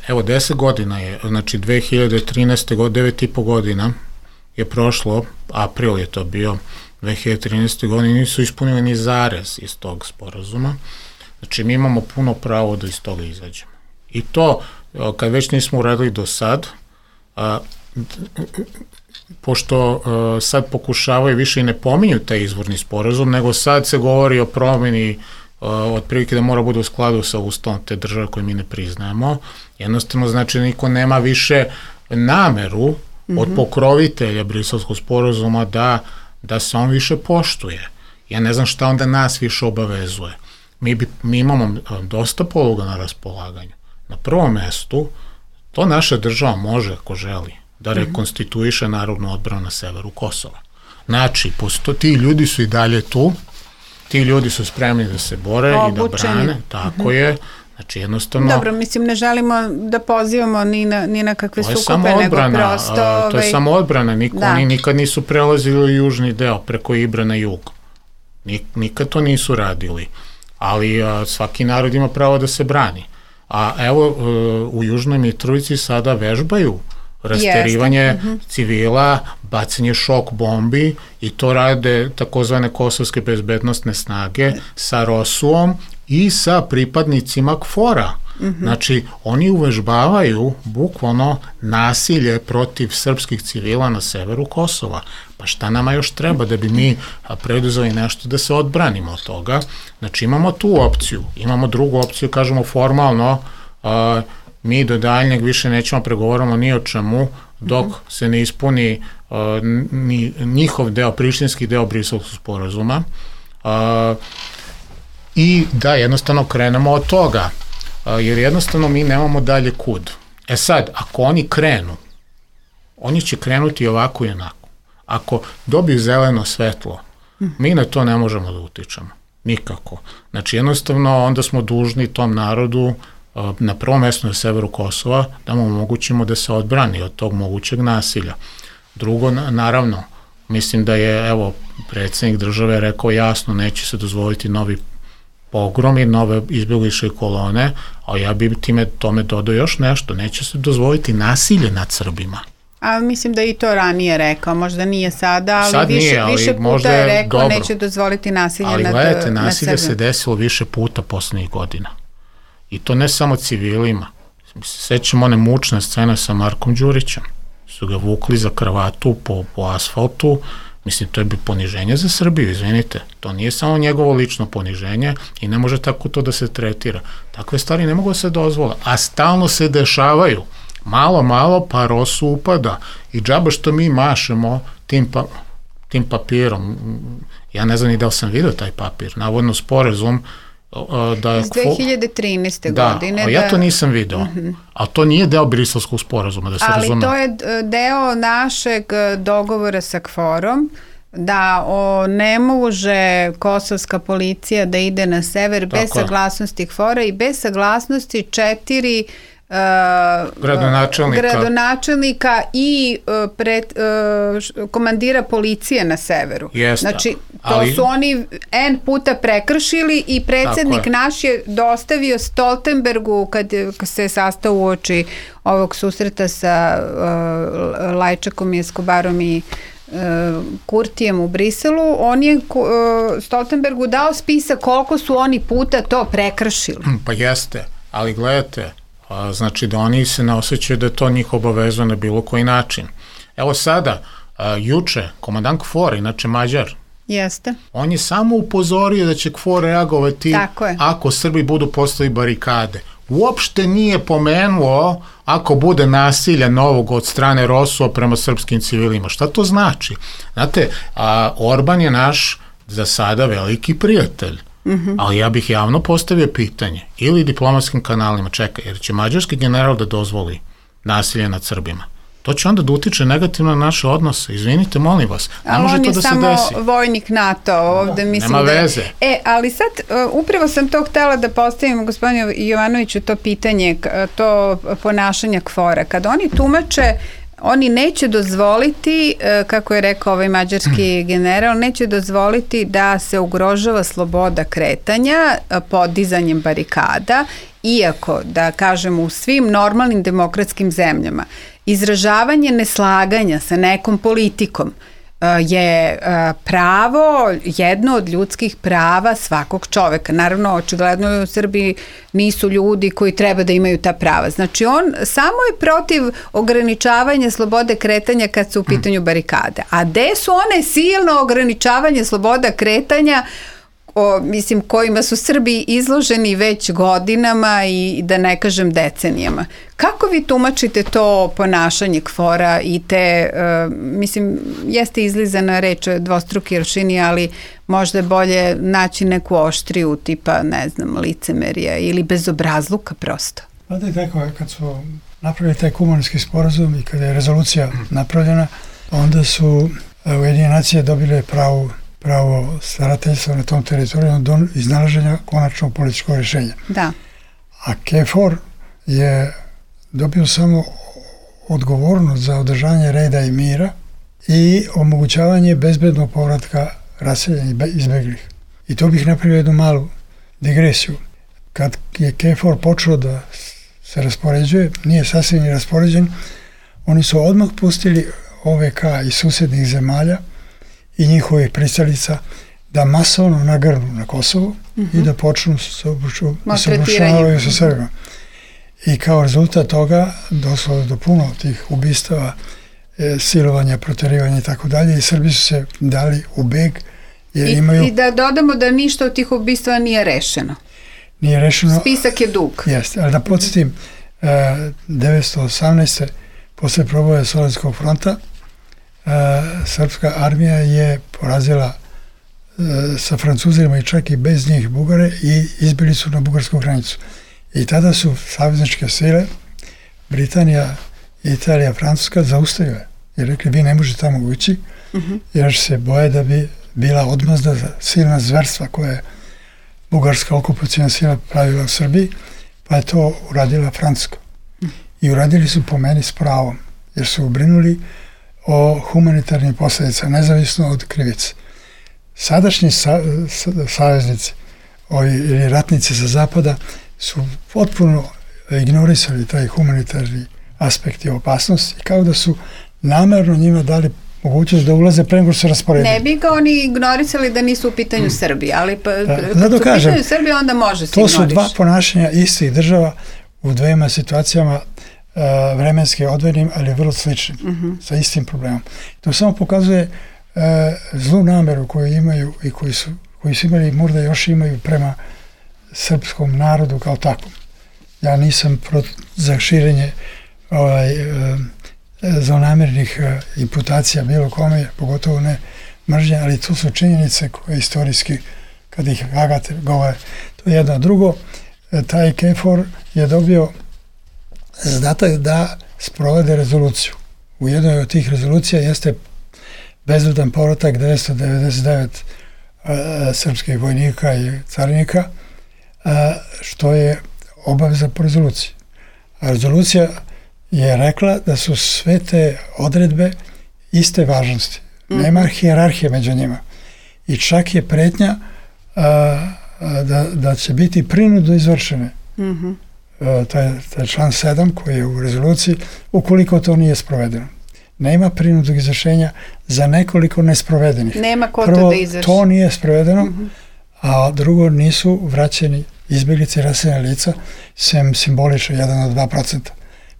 evo deset godina je, znači dve hiljade trinaeste godine, devet i po godina je prošlo, april je to bio, dve hiljade trinaeste godine nisu ispunili ni zarez iz tog sporazuma, znači mi imamo puno pravo da iz toga izađemo. I to, kad već nismo uradili do sad, a, pošto a, sad pokušavaju više i ne pominju taj izvorni sporazum, nego sad se govori o promjeni otprilike da mora bude u skladu sa ustavom te države koje mi ne priznajemo, jednostavno znači niko nema više nameru mm-hmm. od pokrovitelja Briselskog sporazuma da, da se on više poštuje. Ja ne znam šta onda nas više obavezuje. Mi, bi, mi imamo dosta poluga na raspolaganju. Na prvom mestu, to naša država može, ako želi, da rekonstituiše narodnu odbranu na severu Kosova. Znači, posto, ti ljudi su i dalje tu, ti ljudi su spremni da se bore obučeni. I da brane, tako uh-huh. je, znači jednostavno... Dobro, mislim, ne želimo da pozivamo ni na, ni na kakve sukobe, nego prosto... A, to je samo odbrana, niko, da. Oni nikad nisu prelazili u južni deo, preko Ibra na jug. Nik, nikad to nisu radili, ali a, svaki narod ima pravo da se brani. A evo, a, u Južnoj Mitrovici sada vežbaju rasterivanje uh-huh. civila, bacanje šok bombi i to rade takozvane kosovske bezbednostne snage sa ROSU-om i sa pripadnicima KFOR-a. Uh-huh. Znači, oni uvežbavaju bukvalno nasilje protiv srpskih civila na severu Kosova. Pa šta nama još treba da bi mi preduzeli nešto da se odbranimo od toga? Znači, imamo tu opciju. Imamo drugu opciju, kažemo formalno, a, mi do daljnjeg više nećemo pregovoramo ni o čemu dok mm-hmm. se ne ispuni uh, ni, njihov deo, prištinski deo Briselskog sporazuma uh, i da jednostavno krenemo od toga, uh, jer jednostavno mi nemamo dalje kud. E sad, ako oni krenu, oni će krenuti ovako i onako. Ako dobiju zeleno svetlo, mm-hmm. mi na to ne možemo da utičemo. Nikako. Znači jednostavno onda smo dužni tom narodu na prvom mjestu na severu Kosova da mu omogućimo da se odbrani od tog mogućeg nasilja. Drugo, naravno, mislim da je, evo, predsjednik države rekao jasno, neće se dozvoliti novi pogromi, nove izbjegličke kolone, a ja bi time tome dodao još nešto, neće se dozvoliti nasilje nad Srbima. A mislim da i to ranije rekao, možda nije sada, ali, Sad više, nije, ali više puta je rekao dobro. Neće dozvoliti nasilje ali nad, gledajte, nad nasilje Srbima. se desilo više puta poslednjih godina. I to ne samo civilima. Sećamo one mučne scene sa Markom Đurićem. Su ga vukli za kravatu po, po asfaltu. Mislim, to je bi poniženje za Srbiju, izvinite. To nije samo njegovo lično poniženje i ne može tako to da se tretira. Takve stvari ne mogu da se dozvole. A stalno se dešavaju. Malo, malo, pa ROSU upada. I džaba što mi mašemo tim, pa, tim papirom. Ja ne znam ni da li sam vidio taj papir. Navodno sporazum da iz dve hiljade trinaeste da, godine. Da, ja to nisam video. Uh-huh. A to nije deo Briselskog sporazuma, da se ali razume. To je deo našeg dogovora sa KFOR-om, da o, ne može kosovska policija da ide na sever Tako bez je. saglasnosti KFOR-a i bez saglasnosti četiri Uh, gradonačelnika. gradonačelnika i uh, pred, uh, komandira policije na severu. Jeste, znači, to ali... su oni N puta prekršili i predsjednik je. naš je dostavio Stoltenbergu kad, kad se sastao uoči ovog susreta sa uh, Lajčakom i Escobarom i uh, Kurtijem u Briselu, on je uh, Stoltenbergu dao spisak koliko su oni puta to prekršili. Pa jeste, ali gledajte, a, znači da oni se ne osjećaju da to njih obavezuje na bilo koji način. Evo sada, a, juče, komandant KFOR, inače Mađar, Jeste. on je samo upozorio da će KFOR reagovati ako Srbi budu postavili barikade. Uopšte nije pomenuo ako bude nasilja novog od strane ROSU-a prema srpskim civilima. Šta to znači? Znate, a, Orban je naš za sada veliki prijatelj. Mm-hmm. Ali ja bih javno postavio pitanje ili diplomatskim kanalima, čekaj, jer će mađarski general da dozvoli nasilje nad Srbima? to će onda da utiče negativno na naše odnose. Izvinite, molim vas. Ne ali može on to je da se samo desi. vojnik NATO ovde, Da, mislim nema da... veze. E, ali sad, uh, upravo sam to htela da postavim gospodinu Jovanoviću to pitanje, to ponašanja KFOR-a. Kad oni tumače, oni neće dozvoliti, kako je rekao ovaj mađarski general, neće dozvoliti da se ugrožava sloboda kretanja podizanjem barikada, iako, da kažemo, u svim normalnim demokratskim zemljama izražavanje neslaganja sa nekom politikom je pravo, jedno od ljudskih prava svakog čoveka. Naravno, očigledno u Srbiji nisu ljudi koji treba da imaju ta prava. Znači, on samo je protiv ograničavanja slobode kretanja kad su u pitanju barikade. A gde su one silno ograničavanje sloboda kretanja o, mislim, kojima su Srbi izloženi već godinama i da ne kažem decenijama. Kako vi tumačite to ponašanje KFOR-a i te, uh, mislim, jeste izlizana reč dvostruki aršini, ali možda je bolje naći neku oštriju tipa, ne znam, licemerija ili bezobrazluka prosto? Pa da je tako, kad su napravili taj kumanski sporazum i kada je rezolucija napravljena, onda su Ujedinjene nacije dobile pravu pravo starateljstva na tom teritoriju do iznalaženja konačnog političkog rješenja. Da. A KFOR je dobio samo odgovornost za održanje reda i mira i omogućavanje bezbednog povratka raseljenih izbeglih. I to bih napravio jednu malu digresiju. Kad je KFOR počeo da se raspoređuje, nije sasvim ni raspoređen, oni su odmah pustili O V K iz susjednih zemalja i njihovih pristalica da masovno nagrnu na Kosovo mm-hmm. i da počnu se obračunavaju sa Srbima. I kao rezultat toga došlo do puno tih ubistava, e, silovanja, proterivanja i tako dalje i Srbi su se dali u beg. Jer I, imaju, I da dodamo da ništa od tih ubistava nije rešeno. Nije rešeno. Spisak je dug. Jeste, ali da podsjetim, e, devetsto osamnaeste. posle proboja Solunskog fronta, Uh, srpska armija je porazila uh, sa Francuzima i čak i bez njih Bugare i izbili su na bugarsku granicu. I tada su savezničke sile, Britanija, Italija, Francuska zaustavile i rekli vi ne možete tamo ući uh-huh. jer se boje da bi bila odmazda za silna zverstva koje je bugarska okupacijna sila pravila u Srbiji, pa je to uradila Francuska. Uh-huh. I uradili su po meni s pravom, jer su ubrinuli o humanitarnim posljedicama, nezavisno od krivice. Sadašnji sa, sa, saveznici ovi, ili ratnici sa zapada su potpuno ignorisali taj humanitarni aspekt i opasnost i kao da su namerno njima dali mogućnost da ulaze pre nego što se rasporedili. Ne bi ga oni ignorisali da nisu u pitanju mm. Srbije, ali pa, da, kad da su u kažem, pitanju Srbije onda može se to ignoriš. To su dva ponašanja istih država u dvema situacijama Uh, vremenski odvojenim, ali vrlo sličnim, uh-huh. sa istim problemom. To samo pokazuje uh, zlu nameru koju imaju i koji su, koji su imali i možda još imaju prema srpskom narodu kao takvom. Ja nisam pro, za širenje ovaj, uh, zlonamernih uh, imputacija bilo kome, pogotovo ne mržnje, ali to su činjenice koje istorijski, kad ih Agate govore, to je jedno. Drugo, uh, taj KFOR je dobio zadatak da sprovede rezoluciju. U jednoj od tih rezolucija jeste bezbedan povratak devetsto devedeset devet uh, srpskih vojnika i carinika, uh, što je obaveza po rezoluciji. A rezolucija je rekla da su sve te odredbe iste važnosti. Mm-hmm. Nema hijerarhije među njima. I čak je pretnja uh, da, da će biti prinudno izvršene. Mm-hmm. Taj, taj član sedam koji je u rezoluciji, ukoliko to nije sprovedeno. Nema prinudnog izvršenja za nekoliko nesprovedenih. Nema ko Prvo, to da izvrši. To nije sprovedeno, uh-huh. a drugo, nisu vraćeni izbjeglice i raseljena lica, sem simbolično jedan od dva procenta.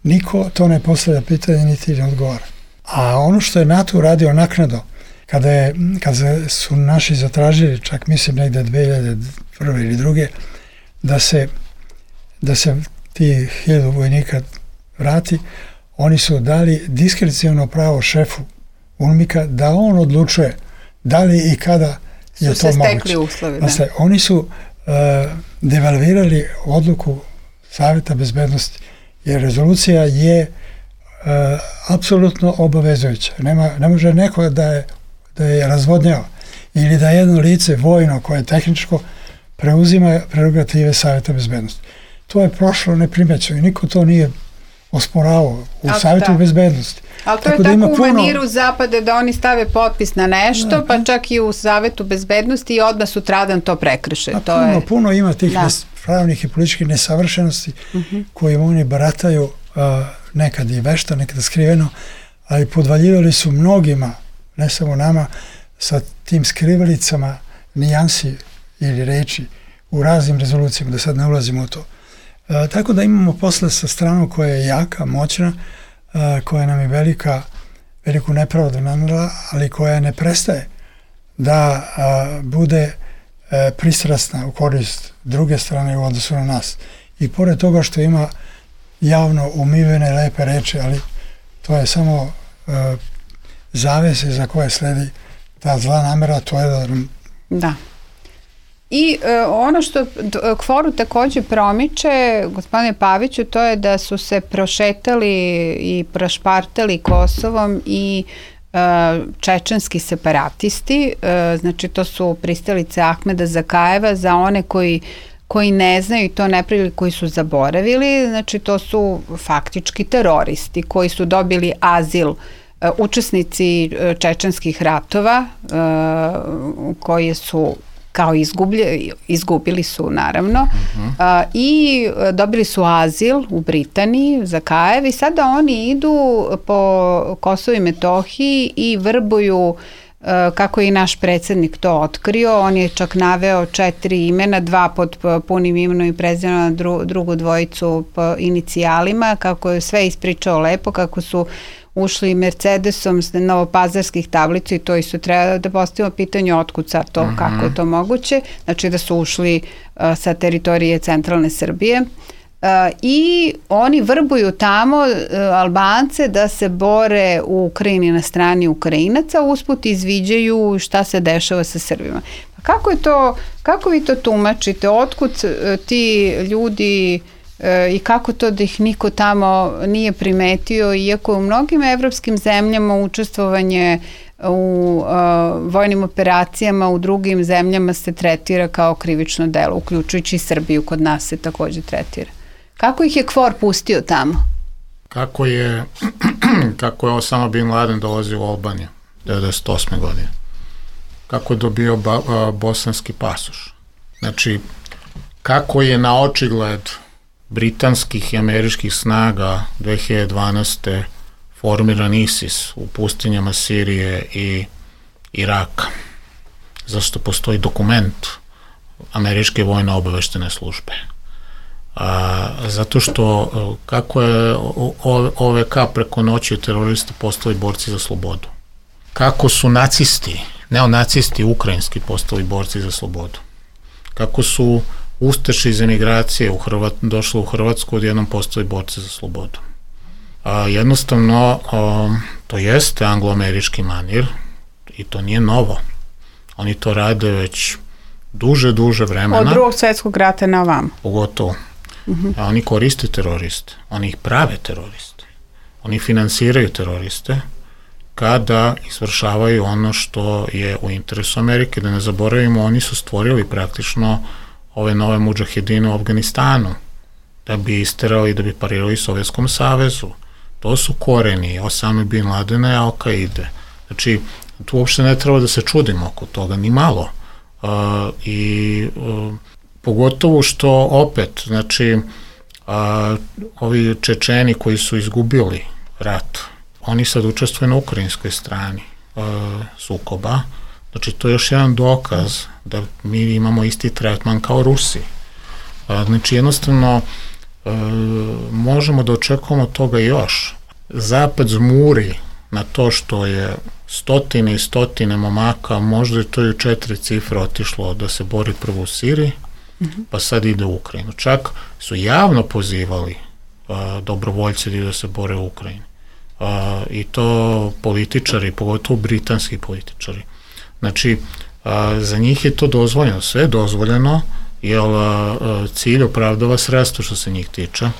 Niko to ne postavlja pitanje, niti ne odgovara. A ono što je NATO uradio naknadno, kada, je, kada su naši zatražili, čak mislim negde dve hiljade prve ili druge, da se da se ti hiljadu vojnika vrati, oni su dali diskreciono pravo šefu UNMIK-a da on odlučuje da li i kada je su to moguće. Su se stekli uslovi, da. Znači, oni su uh, devalvirali odluku Savjeta bezbednosti, jer rezolucija je apsolutno obavezujuća. Nema, ne može neko da je, da je razvodnjava ili da jedno lice vojno koje je tehničko preuzima prerogative Savjeta bezbednosti. To je prošlo neprimećeno i niko to nije osporavao u ali Savjetu da. bezbednosti. Ali to tako je tako u puno... maniru Zapada da oni stave potpis na nešto, da, pa čak i u Savjetu bezbednosti i odmah sutradan to prekrše. To puno, je... puno ima tih da. pravnih i političkih nesavršenosti uh-huh. kojim oni barataju uh, nekad i vešta, nekada skriveno, ali podvaljivali su mnogima, ne samo nama, sa tim skrivalicama nijansi ili reči u raznim rezolucijama, da sad ne ulazimo u to. E, tako da imamo posle sa stranom koja je jaka, moćna, e, koja nam je velika, veliku nepravdu nanela, ali koja ne prestaje da a, bude e, pristrasna u korist druge strane u odnosu na nas. I pored toga što ima javno umivene lepe reči, ali to je samo e, zavese za koje sledi ta zla namera, to je da... Da. I e, ono što KFOR-u takođe promiče, gospodine Paviću, to je da su se prošetali i prošpartali Kosovom i e, čečenski separatisti, e, znači to su pristalice Ahmeda Zakajeva, za one koji koji ne znaju i to ne prili, koji su zaboravili, znači to su faktički teroristi koji su dobili azil, e, učesnici čečenskih ratova e, koji su kao izgublje, izgubili su naravno uh-huh. a, i dobili su azil u Britaniji, Zakajev, i sada oni idu po Kosovu i Metohiji i vrbuju, a, kako je i naš predsjednik to otkrio. On je čak naveo četiri imena, dva pod punim imenom i prezimenom, dru, drugu dvojicu po inicijalima, kako je sve ispričao lepo, kako su ušli Mercedesom s novopazarskih tablica i to isto treba da postavimo pitanje otkud sad to, uh-huh. kako je to moguće, znači da su ušli uh, sa teritorije centralne Srbije uh, i oni vrbuju tamo uh, Albance da se bore u Ukrajini na strani Ukrajinaca, usput izviđaju šta se dešava sa Srbima. Pa kako je to, kako vi to tumačite, otkud uh, ti ljudi i kako to da ih niko tamo nije primetio, iako u mnogim evropskim zemljama učestvovanje u uh, vojnim operacijama u drugim zemljama se tretira kao krivično delo, uključujući i Srbiju, kod nas se takođe tretira. Kako ih je KFOR pustio tamo? Kako je, kako je Osama bin Laden dolazio u Albaniju devedeset osme godine? Kako je dobio ba, uh, bosanski pasoš? Znači, kako je na očigled britanskih i američkih snaga dve hiljade dvanaeste formiran ISIS u pustinjama Sirije i Iraka. Zašto postoji dokument američke vojne obaveštene službe? A, zato što kako je O V K preko noći teroristi postali borci za slobodu? Kako su nacisti, neonacisti ukrajinski postali borci za slobodu? Kako su Ustaše iz emigracije u Hrvat, došli u Hrvatsku, odjednom postali borci za slobodu. A, jednostavno, a, to jeste anglo-američki manir i to nije novo. Oni to rade već duže, duže vremena. Od drugog svjetskog rata na ovam. Pogotovo. Uh-huh. A oni koriste teroriste. Oni ih prave teroriste. Oni finansiraju teroriste kada izvršavaju ono što je u interesu Amerike. Da ne zaboravimo, oni su stvorili praktično ove nove mudžahedine u Afganistanu, da bi isterali, da bi parirali Sovjetskom savezu. To su koreni Osame bin Ladena i Al-Kaide. Znači, tu uopšte ne treba da se čudimo oko toga, ni malo. Uh, I uh, pogotovo što opet, znači, uh, ovi Čečeni koji su izgubili rat, oni sad učestvuju na ukrajinskoj strani uh, sukoba. Znači, to je još jedan dokaz da mi imamo isti tretman kao Rusi. Znači, jednostavno, e, možemo da očekujemo toga još. Zapad zmuri na to što je stotine i stotine momaka, možda je to i četiri cifre otišlo da se bori prvo u Siriji, mm-hmm. pa sad ide u Ukrajinu. Čak su javno pozivali a, dobrovoljci da se bore u Ukrajini. A, I to političari, pogotovo britanski političari. Znači, a, za njih je to dozvoljeno, sve je dozvoljeno, jer a, cilj opravdava sredstvo što se njih tiče.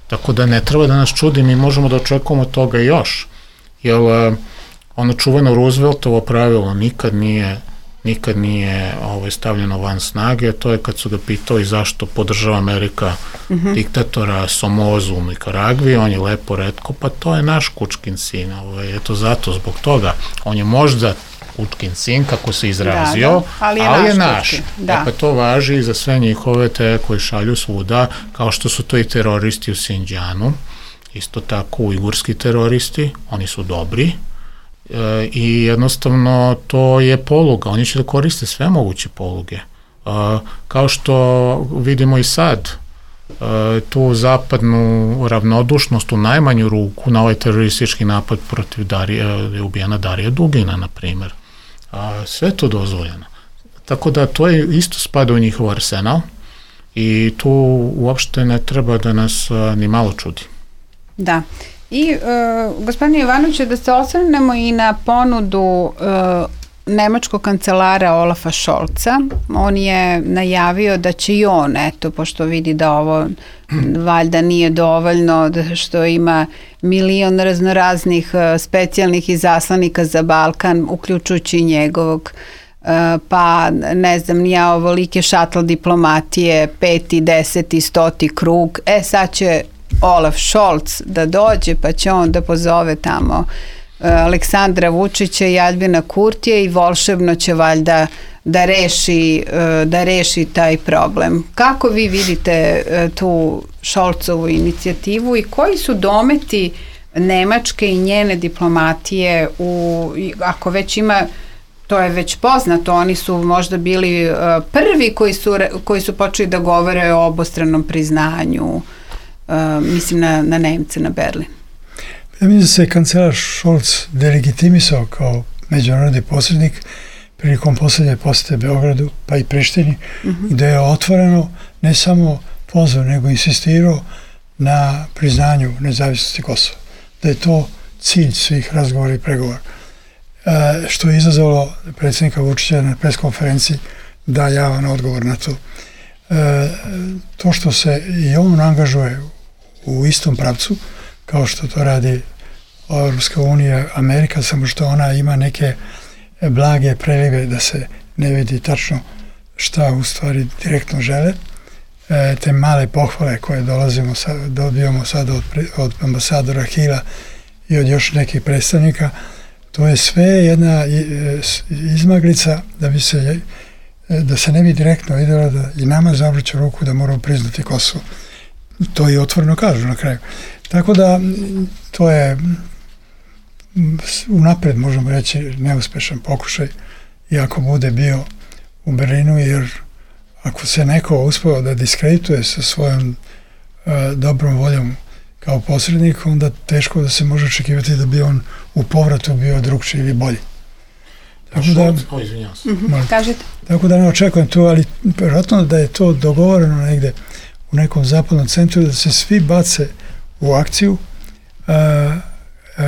Tako da ne treba da nas čudi, mi možemo da očekujemo toga još. Jer ono čuveno Rooseveltovo pravilo nikad nije, nikad nije ovaj, stavljeno van snage, to je kad su ga pitali zašto podržava Amerika mm-hmm. diktatora Somozu u Nikaragvi, on je lepo retko, pa to je naš kučkin sin, ovaj, eto zato, zbog toga, on je možda kučkin sin, kako se izrazio, da, da, ali je ali naš. Je naš. Da. E pa to važi i za sve njihove te koji šalju svuda, kao što su to i teroristi u Sinđanu, isto tako ujgurski teroristi, oni su dobri e, i jednostavno to je poluga, oni će da koriste sve moguće poluge. E, kao što vidimo i sad, e, tu zapadnu ravnodušnost u najmanju ruku na ovaj teroristički napad protiv Darije, je ubijena Darija Dugina, na primjer. A, sve to dozvoljeno. Tako da to je isto spada u njihov arsenal i tu uopšte ne treba da nas a, ni malo čudi. Da. I uh, gospodine Jovanoviću, da se osvrnemo i na ponudu uh, nemačkog kancelara Olafa Scholza. On je najavio da će i on, eto, pošto vidi da ovo valjda nije dovoljno, da što ima milion raznoraznih uh, specijalnih izaslanika za Balkan, uključujući njegovog, uh, pa ne znam, nija ovolike šatl diplomatije, peti, deseti, stoti krug. E, sad će Olaf Scholz da dođe, pa će on da pozove tamo uh, Aleksandra Vučića i Aljbina Kurtija i volšebno će valjda da reši, uh, da reši taj problem. Kako vi vidite uh, tu Scholzovu inicijativu i koji su dometi Nemačke i njene diplomatije u, ako već ima, to je već poznato, oni su možda bili uh, prvi koji su, koji su počeli da govore o obostranom priznanju. Uh, mislim na, na Nemce, na Berlin. Ja mislim da se kancelar Scholz delegitimisao kao međunarodni posrednik prilikom posljednje posjete Beogradu, pa i Prištini, mm-hmm. gde je otvoreno ne samo pozvao, nego insistirao na priznanju nezavisnosti Kosova. Da je to cilj svih razgovora i pregovora. Uh, što je izazvalo predsjednika Vučića na preskonferenciji da javan odgovor na to. Uh, to što se i on angažuje u istom pravcu, kao što to radi Europska unija, Amerika, samo što ona ima neke blage prelive da se ne vidi tačno šta u stvari direktno žele. E, te male pohvale koje dolazimo sad, dobijamo sad od, od ambasadora Hila i od još nekih predstavnika, to je sve jedna izmaglica da bi se da se ne bi direktno vidjelo da i nama zavrću ruku da moramo priznati Kosovo. To i otvoreno kažu na kraju. Tako da to je unapred, možemo reći, neuspešan pokušaj, iako bude bio u Berlinu, jer ako se neko uspeo da diskredituje sa svojom uh, dobrom voljom kao posrednik, onda teško da se može očekivati da bi on u povratu bio drugčiji ili bolji. Tako da, o, izvinjam se. Mm-hmm. Kažete. Tako da ne očekujem to, ali vjerojatno da je to dogovoreno negde u nekom zapadnom centru, da se svi bace u akciju uh, uh,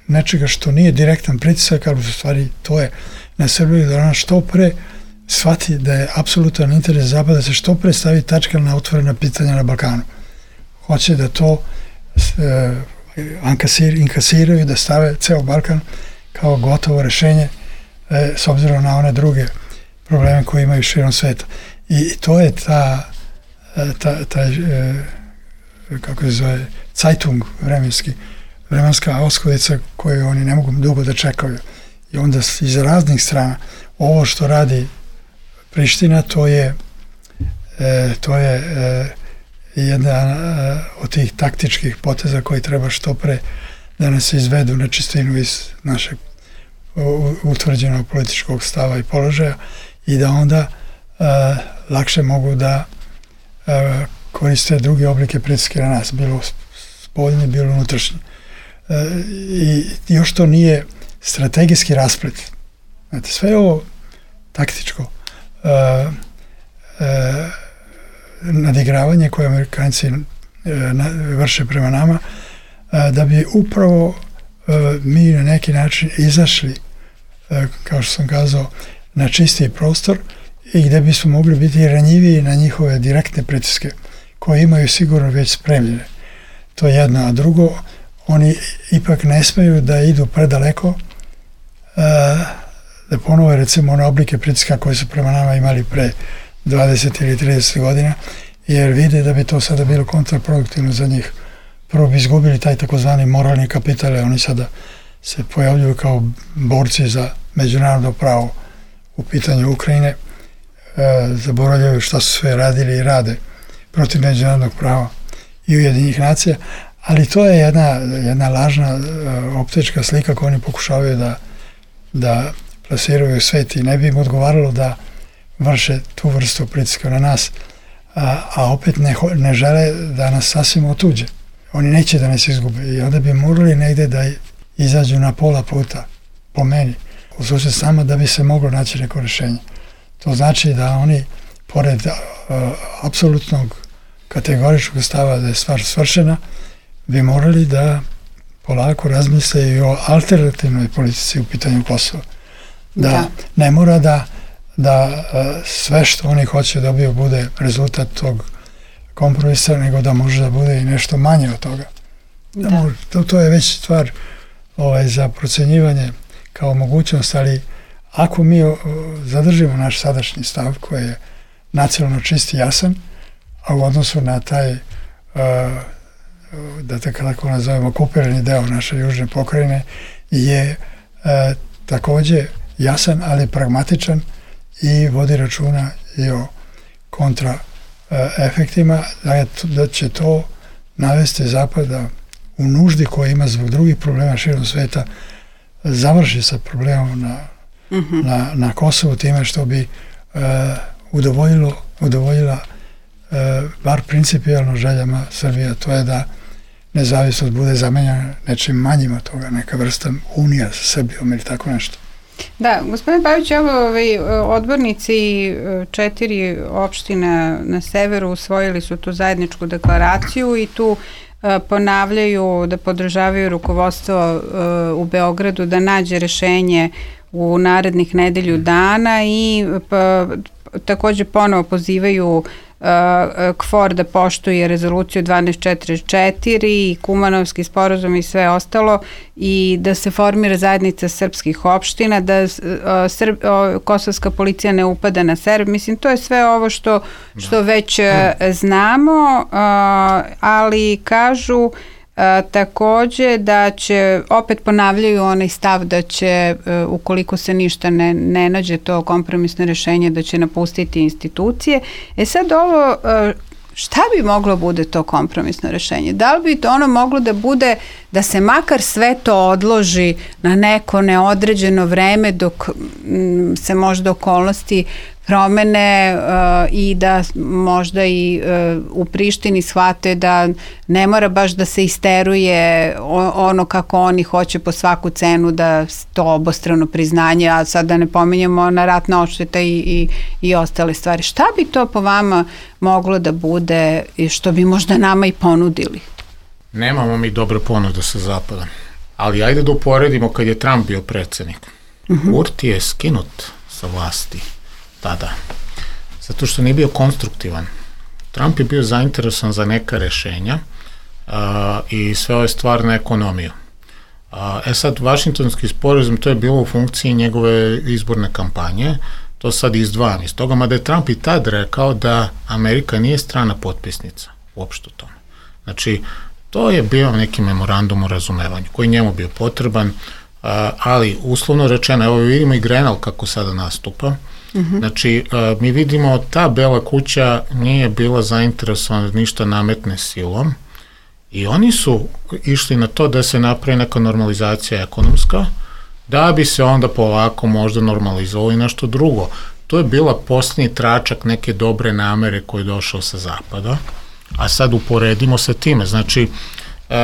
nečega što nije direktan pritisak, ali u stvari to je na Srbiji, da ona što pre shvati da je apsolutan interes Zapada da se što pre stavi tačka na otvorena pitanja na Balkanu. Hoće da to uh, inkasir, inkasiraju, da stave ceo Balkan kao gotovo rešenje uh, s obzirom na one druge probleme koje imaju širom sveta. I to je ta ta, ta uh, kako se zove Zeitung vremenski, vremenska oskodica koju oni ne mogu dugo da čekaju. I onda iz raznih strana ovo što radi Priština, to je e, to je e, jedna e, od tih taktičkih poteza koji treba što pre da nas izvedu na čistinu iz našeg u, utvrđenog političkog stava i položaja i da onda e, lakše mogu da e, koriste druge oblike pritiske na nas, bilo spoljni, bilo unutrašnji. E, I još to nije strategijski rasplet. Znate, sve je ovo taktičko uh, uh, nadigravanje koje Amerikanci uh, na, vrše prema nama, uh, da bi upravo uh, mi na neki način izašli, uh, kao što sam kazao, na čistiji prostor i gde bismo mogli biti ranjiviji na njihove direktne pritiske koje imaju sigurno već spremljene. To je jedno, a drugo, oni ipak ne smeju da idu predaleko, uh, da ponove recimo one oblike pritiska koje su prema nama imali pre dvadeset ili trideset godina, jer vide da bi to sada bilo kontraproduktivno za njih. Prvo bi izgubili taj takozvani moralni kapital, oni sada se pojavljuju kao borci za međunarodno pravo u pitanju Ukrajine, e, zaboravljaju šta su sve radili i rade protiv međunarodnog prava i Ujedinjenih nacija, ali to je jedna, jedna lažna e, optička slika koju oni pokušavaju da, da plasiraju u svet i ne bi im odgovaralo da vrše tu vrstu pritiska na nas, a, a opet ne, ne žele da nas sasvim otuđe. Oni neće da nas izgube i onda bi morali negde da izađu na pola puta, po meni, u susret sama da bi se moglo naći neko rešenje. To znači da oni, pored uh, apsolutnog kategoričkog stava da je stvar svršena, bi morali da polako razmisle i o alternativnoj politici u pitanju Kosova. Da, da. ne mora da, da uh, sve što oni hoće dobiju bude rezultat tog kompromisa, nego da može da bude i nešto manje od toga. Da. Da može, to, to je već stvar ovaj, za procenjivanje kao mogućnost, ali ako mi o, zadržimo naš sadašnji stav koji je nacionalno čist i jasan, a u odnosu na taj, uh, da tako nazovemo, okupirani deo naše južne pokrajine je uh, takođe jasan, ali pragmatičan i vodi računa i o kontra uh, efektima, da, je, da će to navesti Zapada u nuždi koja ima zbog drugih problema širom sveta završi sa problemom na, mm-hmm. na, na Kosovu time što bi uh, udovoljilo, udovoljila uh, bar principijalno željama Srbije, to je da nezavisnost bude zamenjena nečim manjim od toga, neka vrsta unija sa Srbijom ili tako nešto. Da, gospodine Pavić, evo ovaj, odbornici četiri opštine na severu usvojili su tu zajedničku deklaraciju i tu ponavljaju da podržavaju rukovodstvo uh, u Beogradu da nađe rešenje u narednih nedelju dana i pa, takođe ponovo pozivaju uh, K F O R da poštuje rezoluciju dvanaest četrdeset četiri i Kumanovski sporazum i sve ostalo i da se formira zajednica srpskih opština, da uh, Srb, uh, kosovska policija ne upada na Srb. Mislim, to je sve ovo što, što već uh, znamo, uh, ali kažu A, takođe da će, opet ponavljaju onaj stav da će, uh, ukoliko se ništa ne, ne nađe to kompromisno rešenje, da će napustiti institucije. E sad ovo, uh, šta bi moglo bude to kompromisno rešenje? Da li bi to ono moglo da bude da se makar sve to odloži na neko neodređeno vreme dok m, se možda okolnosti promene uh, i da možda i uh, u Prištini shvate da ne mora baš da se isteruje ono kako oni hoće po svaku cenu da to obostrano priznanje, a sad da ne pominjemo na ratna odšteta i, i, i ostale stvari. Šta bi to po vama moglo da bude i što bi možda nama i ponudili? Nemamo mi dobre ponude sa zapada, ali ajde da uporedimo kad je Trump bio predsednik. Uh-huh. Kurti je skinut sa vlasti tada, zato što nije bio konstruktivan. Trump je bio zainteresovan za neka rešenja uh, i sve ove stvar na ekonomiju. Uh, e sad, Vašingtonski sporazum, to je bilo u funkciji njegove izborne kampanje, to sad izdvajam iz toga, mada je Trump i tad rekao da Amerika nije strana potpisnica uopšte u tome. Znači, to je bio neki memorandum o razumevanju koji njemu bio potreban, uh, ali uslovno rečeno, evo vidimo i Grenell kako sada nastupa. Mm-hmm. Znači, uh, mi vidimo ta Bela kuća nije bila zainteresovana ništa nametne silom i oni su išli na to da se napravi neka normalizacija ekonomska, da bi se onda polako možda normalizovalo i nešto drugo. To je bila posljednji tračak neke dobre namere koji je došao sa zapada, a sad uporedimo sa time. Znači, uh,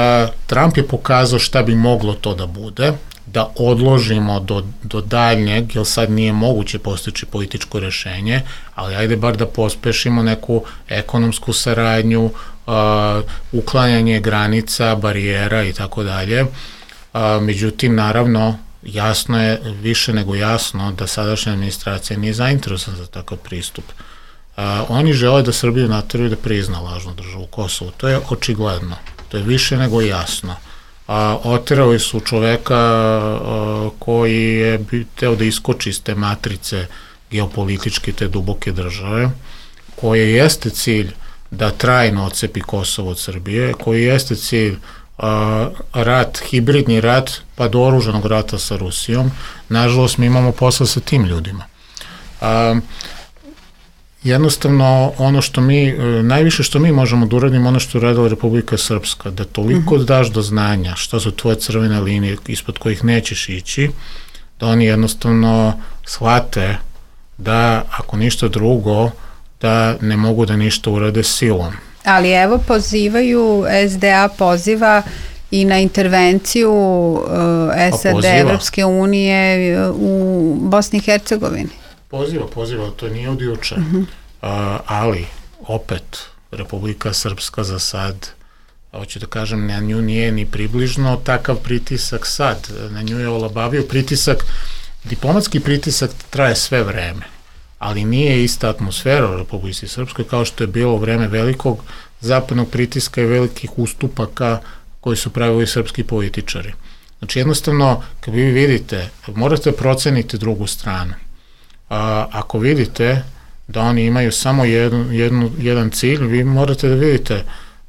Trump je pokazao šta bi moglo to da bude, da odložimo do, do daljnjeg, jer sad nije moguće postići političko rešenje, ali ajde bar da pospešimo neku ekonomsku saradnju, uh, uklanjanje granica, barijera i tako dalje. Međutim, naravno, jasno je, više nego jasno, da sadašnja administracija nije zainteresovana za takav pristup. Uh, oni žele da Srbiju nateraju da prizna lažnu državu Kosovo, to je očigledno. To je više nego jasno. A, oterali su čoveka a, koji je teo da iskoči iz te matrice geopolitičke te duboke države, koje jeste cilj da trajno odcepi Kosovo od Srbije, koji jeste cilj a, rat, hibridni rat, pa do oružanog rata sa Rusijom. Nažalost, mi imamo posla sa tim ljudima. A, jednostavno, ono što mi, najviše što mi možemo da uradimo, ono što je uradila Republika Srpska, da toliko mm-hmm. daš do znanja šta su tvoje crvene linije ispod kojih nećeš ići, da oni jednostavno shvate da, ako ništa drugo, da ne mogu da ništa urade silom. Ali evo pozivaju, S D A poziva i na intervenciju uh, S A D, Evropske unije u Bosni i Hercegovini. Poziva, poziva, to nije od juče. Uh-huh. uh, ali, opet, Republika Srpska za sad, hoću da kažem, na nju nije ni približno takav pritisak sad. Na nju je olabavio pritisak, diplomatski pritisak traje sve vreme, ali nije ista atmosfera u Republici Srpskoj kao što je bilo u vreme velikog zapadnog pritiska i velikih ustupaka koji su pravili srpski političari. Znači, jednostavno, kad vi vidite, morate proceniti drugu stranu. A, ako vidite da oni imaju samo jednu, jednu, jedan cilj, vi morate da vidite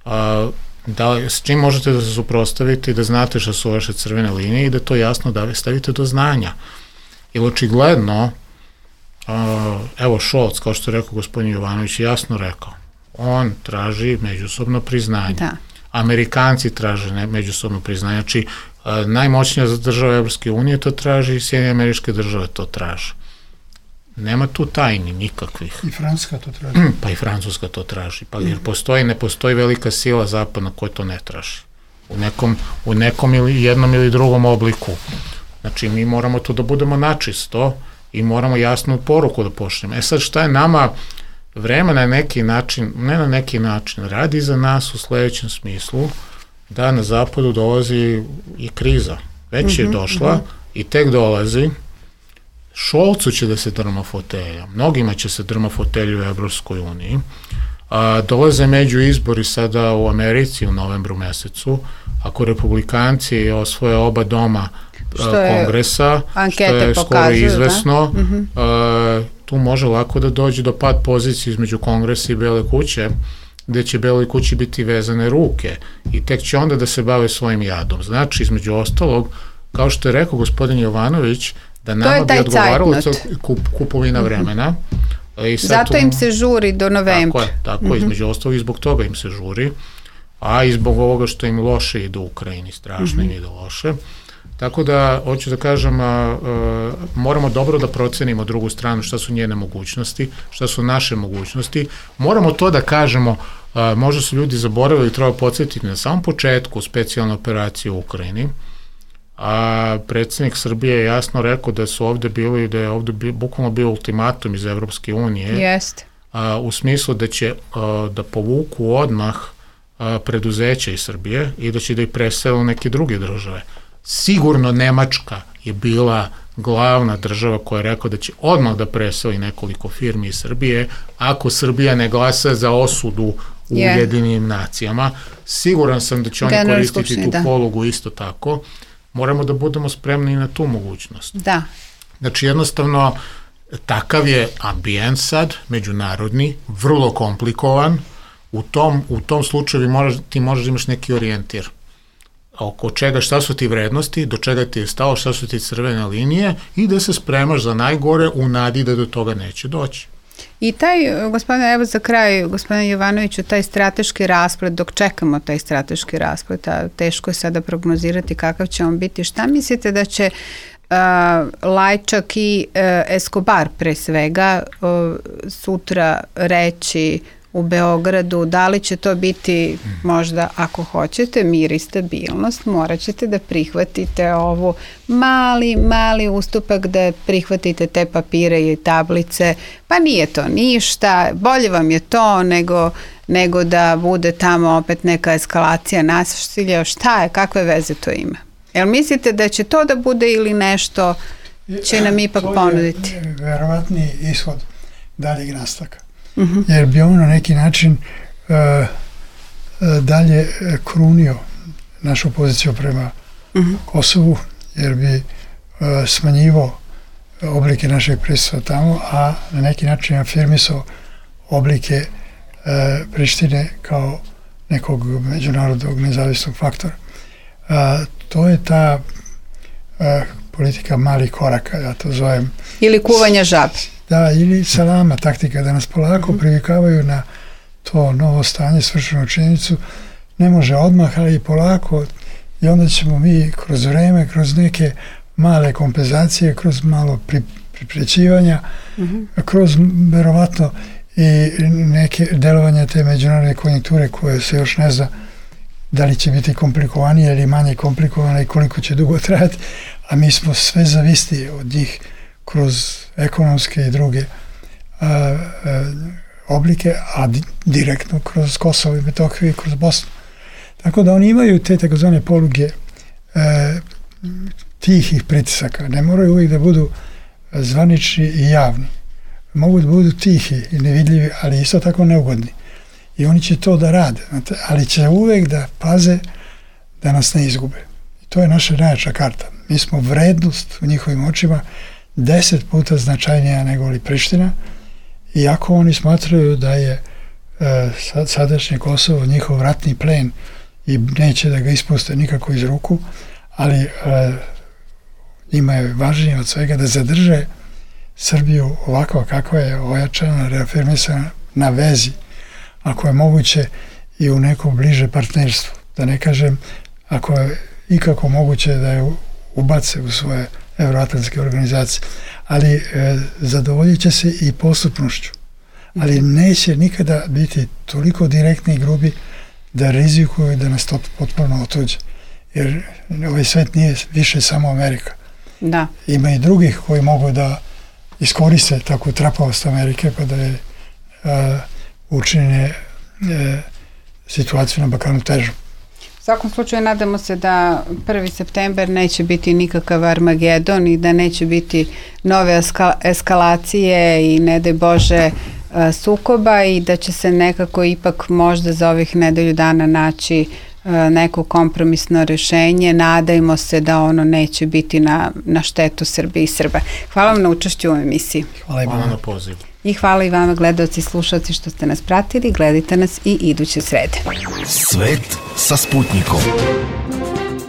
a, da, s čim možete da se suprotstavite i da znate šta su vaše crvene linije i da to jasno da stavite do znanja. Jer očigledno, a, evo Šolc, kao što je rekao gospodin Jovanović, jasno rekao, on traži međusobno priznanje. Da. Amerikanci traže ne, međusobno priznanje. Znači, a, najmoćnija država Evropske unije to traži i Sjedinjene Američke Države to traže. Nema tu tajni nikakvih. I Francuska to traži. Pa i Francuska to traži. Pa jer postoji, ne postoji velika sila zapadna koja to ne traži. U nekom, u nekom ili jednom ili drugom obliku. Znači, mi moramo tu da budemo načisto i moramo jasnu poruku da pošljemo. E sad, šta je nama vreme na neki način, ne na neki način, radi za nas u sledećem smislu da na zapadu dolazi i kriza. Već je mm-hmm, došla mm-hmm. i tek dolazi. Šolcu će da se drma fotelja, mnogima će se drma fotelju u Evropskoj uniji. A, dolaze među izbori sada u Americi u novembru mesecu. Ako republikanci osvoje oba doma što kongresa, što je skoro izvesno, da? Mm-hmm. a, tu može lako da dođe do pad pozicije između kongresa i Bele kuće, gde će Beloj kući biti vezane ruke i tek će onda da se bave svojim jadom. Znači, između ostalog, kao što je rekao gospodin Jovanović, da nama bi odgovaralo kup, kupovina vremena. I sad zato tu, im se žuri do novembra. Tako je, tako mm-hmm. između ostalog i zbog toga im se žuri, a i zbog ovoga što im loše ide u Ukrajini, strašno mm-hmm. im ide loše. Tako da, hoću da kažem, a, a, moramo dobro da procenimo drugu stranu, šta su njene mogućnosti, šta su naše mogućnosti. Moramo to da kažemo, a, možda su ljudi zaboravili, treba podsjetiti na samom početku specijalne operacije u Ukrajini, a predsjednik Srbije je jasno rekao da su ovde bili, da je ovde bi, bukvalno bio ultimatum iz Evropske unije. Jeste. A, u smislu da će a, da povuku odmah a, preduzeća iz Srbije i da će da ih presele u neke druge države. Sigurno Nemačka je bila glavna država koja je rekao da će odmah da preseli nekoliko firmi iz Srbije ako Srbija ne glasa za osudu u yeah. Ujedinjenim nacijama. Siguran sam da će oni General koristiti tu da. polugu isto tako. Moramo da budemo spremni na tu mogućnost. Da. Znači, jednostavno, takav je ambijent sad, međunarodni, vrlo komplikovan. U tom, u tom slučaju moraš, ti možeš da imaš neki orijentir. Oko čega, šta su ti vrednosti, do čega ti je stalo, šta su ti crvene linije i da se spremaš za najgore u nadi da do toga neće doći. I taj, gospodine, evo za kraj, gospodine Jovanoviću, taj strateški rasplet, dok čekamo taj strateški rasplet, a teško je sada prognozirati kakav će on biti, šta mislite da će uh, Lajčak i uh, Escobar pre svega uh, sutra reći u Beogradu, da li će to biti možda, ako hoćete, mir i stabilnost, morat ćete da prihvatite ovo mali, mali ustupak, da prihvatite te papire i tablice, pa nije to ništa, bolje vam je to nego, nego da bude tamo opet neka eskalacija nasilja, šta je, kakve veze to ima? Jel mislite da će to da bude ili nešto će nam ipak ponuditi? To je verovatni ishod daljeg nastavka. Uh-huh. Jer bi on na neki način uh, dalje krunio našu poziciju prema uh-huh. Kosovu, jer bi uh, smanjivo oblike našeg prisustva tamo, a na neki način afirmisao oblike uh, Prištine kao nekog međunarodnog nezavisnog faktora. Uh, to je ta uh, politika malih koraka, ja to zovem. Ili kuvanja žabe. Da, ili salama taktika, da nas polako uh-huh. privikavaju na to novo stanje, svršenu činjenicu. Ne može odmah, ali i polako, i onda ćemo mi kroz vreme, kroz neke male kompenzacije, kroz malo pri, priprećivanja, uh-huh. kroz verovatno i neke delovanja te međunarodne konjunkture koje se još ne zna da li će biti komplikovanije ili manje komplikovane i koliko će dugo trajati, a mi smo sve zavisni od njih kroz ekonomske i druge a, a, oblike, a di, direktno kroz Kosovo i Metohiju i kroz Bosnu. Tako da oni imaju te takozvane poluge e, tihih pritisaka. Ne moraju uvijek da budu zvanični i javni. Mogu da budu tihi i nevidljivi, ali isto tako neugodni. I oni će to da rade, znate, ali će uvijek da paze da nas ne izgube. I to je naša najjača karta. Mi smo vrednost u njihovim očima deset puta značajnija nego li Priština, iako oni smatraju da je e, sadašnje Kosovo njihov ratni plen i neće da ga ispuste nikako iz ruku, ali e, njima je važnije od svega da zadrže Srbiju ovako kakva je, ojačana, reafirmisana na vezi, ako je moguće i u neko bliže partnerstvo. Da ne kažem, ako je ikako moguće da je ubace u svoje evroatlantske organizacije. Ali e, zadovoljit će se i postupnošću. Ali neće nikada biti toliko direktni i grubi da rizikuju da nas to potpuno otuđe. Jer ovaj svet nije više samo Amerika. Da. Ima i drugih koji mogu da iskoriste takvu trapavost Amerike pa da je a, učine e, situaciju na Balkanu težu. U svakom slučaju nadamo se da prvi september neće biti nikakav Armagedon i da neće biti nove eskalacije i ne daj Bože sukoba i da će se nekako ipak možda za ovih nedelju dana naći neko kompromisno rješenje. Nadajmo se da ono neće biti na, na štetu Srbije i Srba. Hvala vam na učešću u emisiji. Hvala i vama na pozivu. I hvala i vama gledaoci i slušalci što ste nas pratili. Gledajte nas i iduće srede. Svet sa Sputnikom.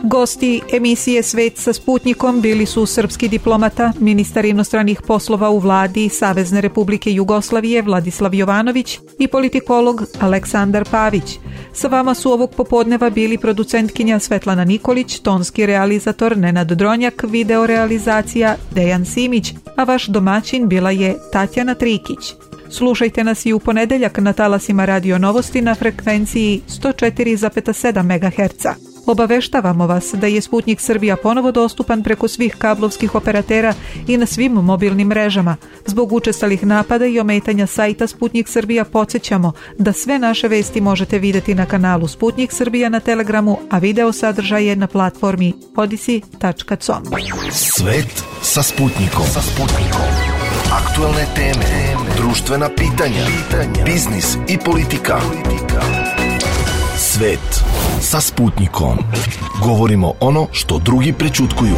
Gosti emisije Svet sa Sputnikom bili su srpski diplomata, ministar inostranih poslova u vladi Savezne Republike Jugoslavije Vladislav Jovanović i politikolog Aleksandar Pavić. Sa vama su ovog popodneva bili producentkinja Svetlana Nikolić, tonski realizator Nenad Dronjak, video realizacija Dejan Simić, a vaš domaćin bila je Tatjana Trikić. Slušajte nas i u ponedeljak na talasima Radio Novosti na frekvenciji sto četiri zarez sedam megaherca. Obaveštavamo vas da je Sputnik Srbija ponovo dostupan preko svih kablovskih operatera i na svim mobilnim mrežama. Zbog učestalih napada i ometanja sajta Sputnik Srbija podsjećamo da sve naše vesti možete vidjeti na kanalu Sputnik Srbija na Telegramu, a video sadržaje na platformi odisi tačka com. Svet sa Sputnikom. Sa Sputnikom. Aktualne teme, društvena pitanja, biznis i politika. Svet sa Sputnikom. Govorimo ono što drugi prećutkuju.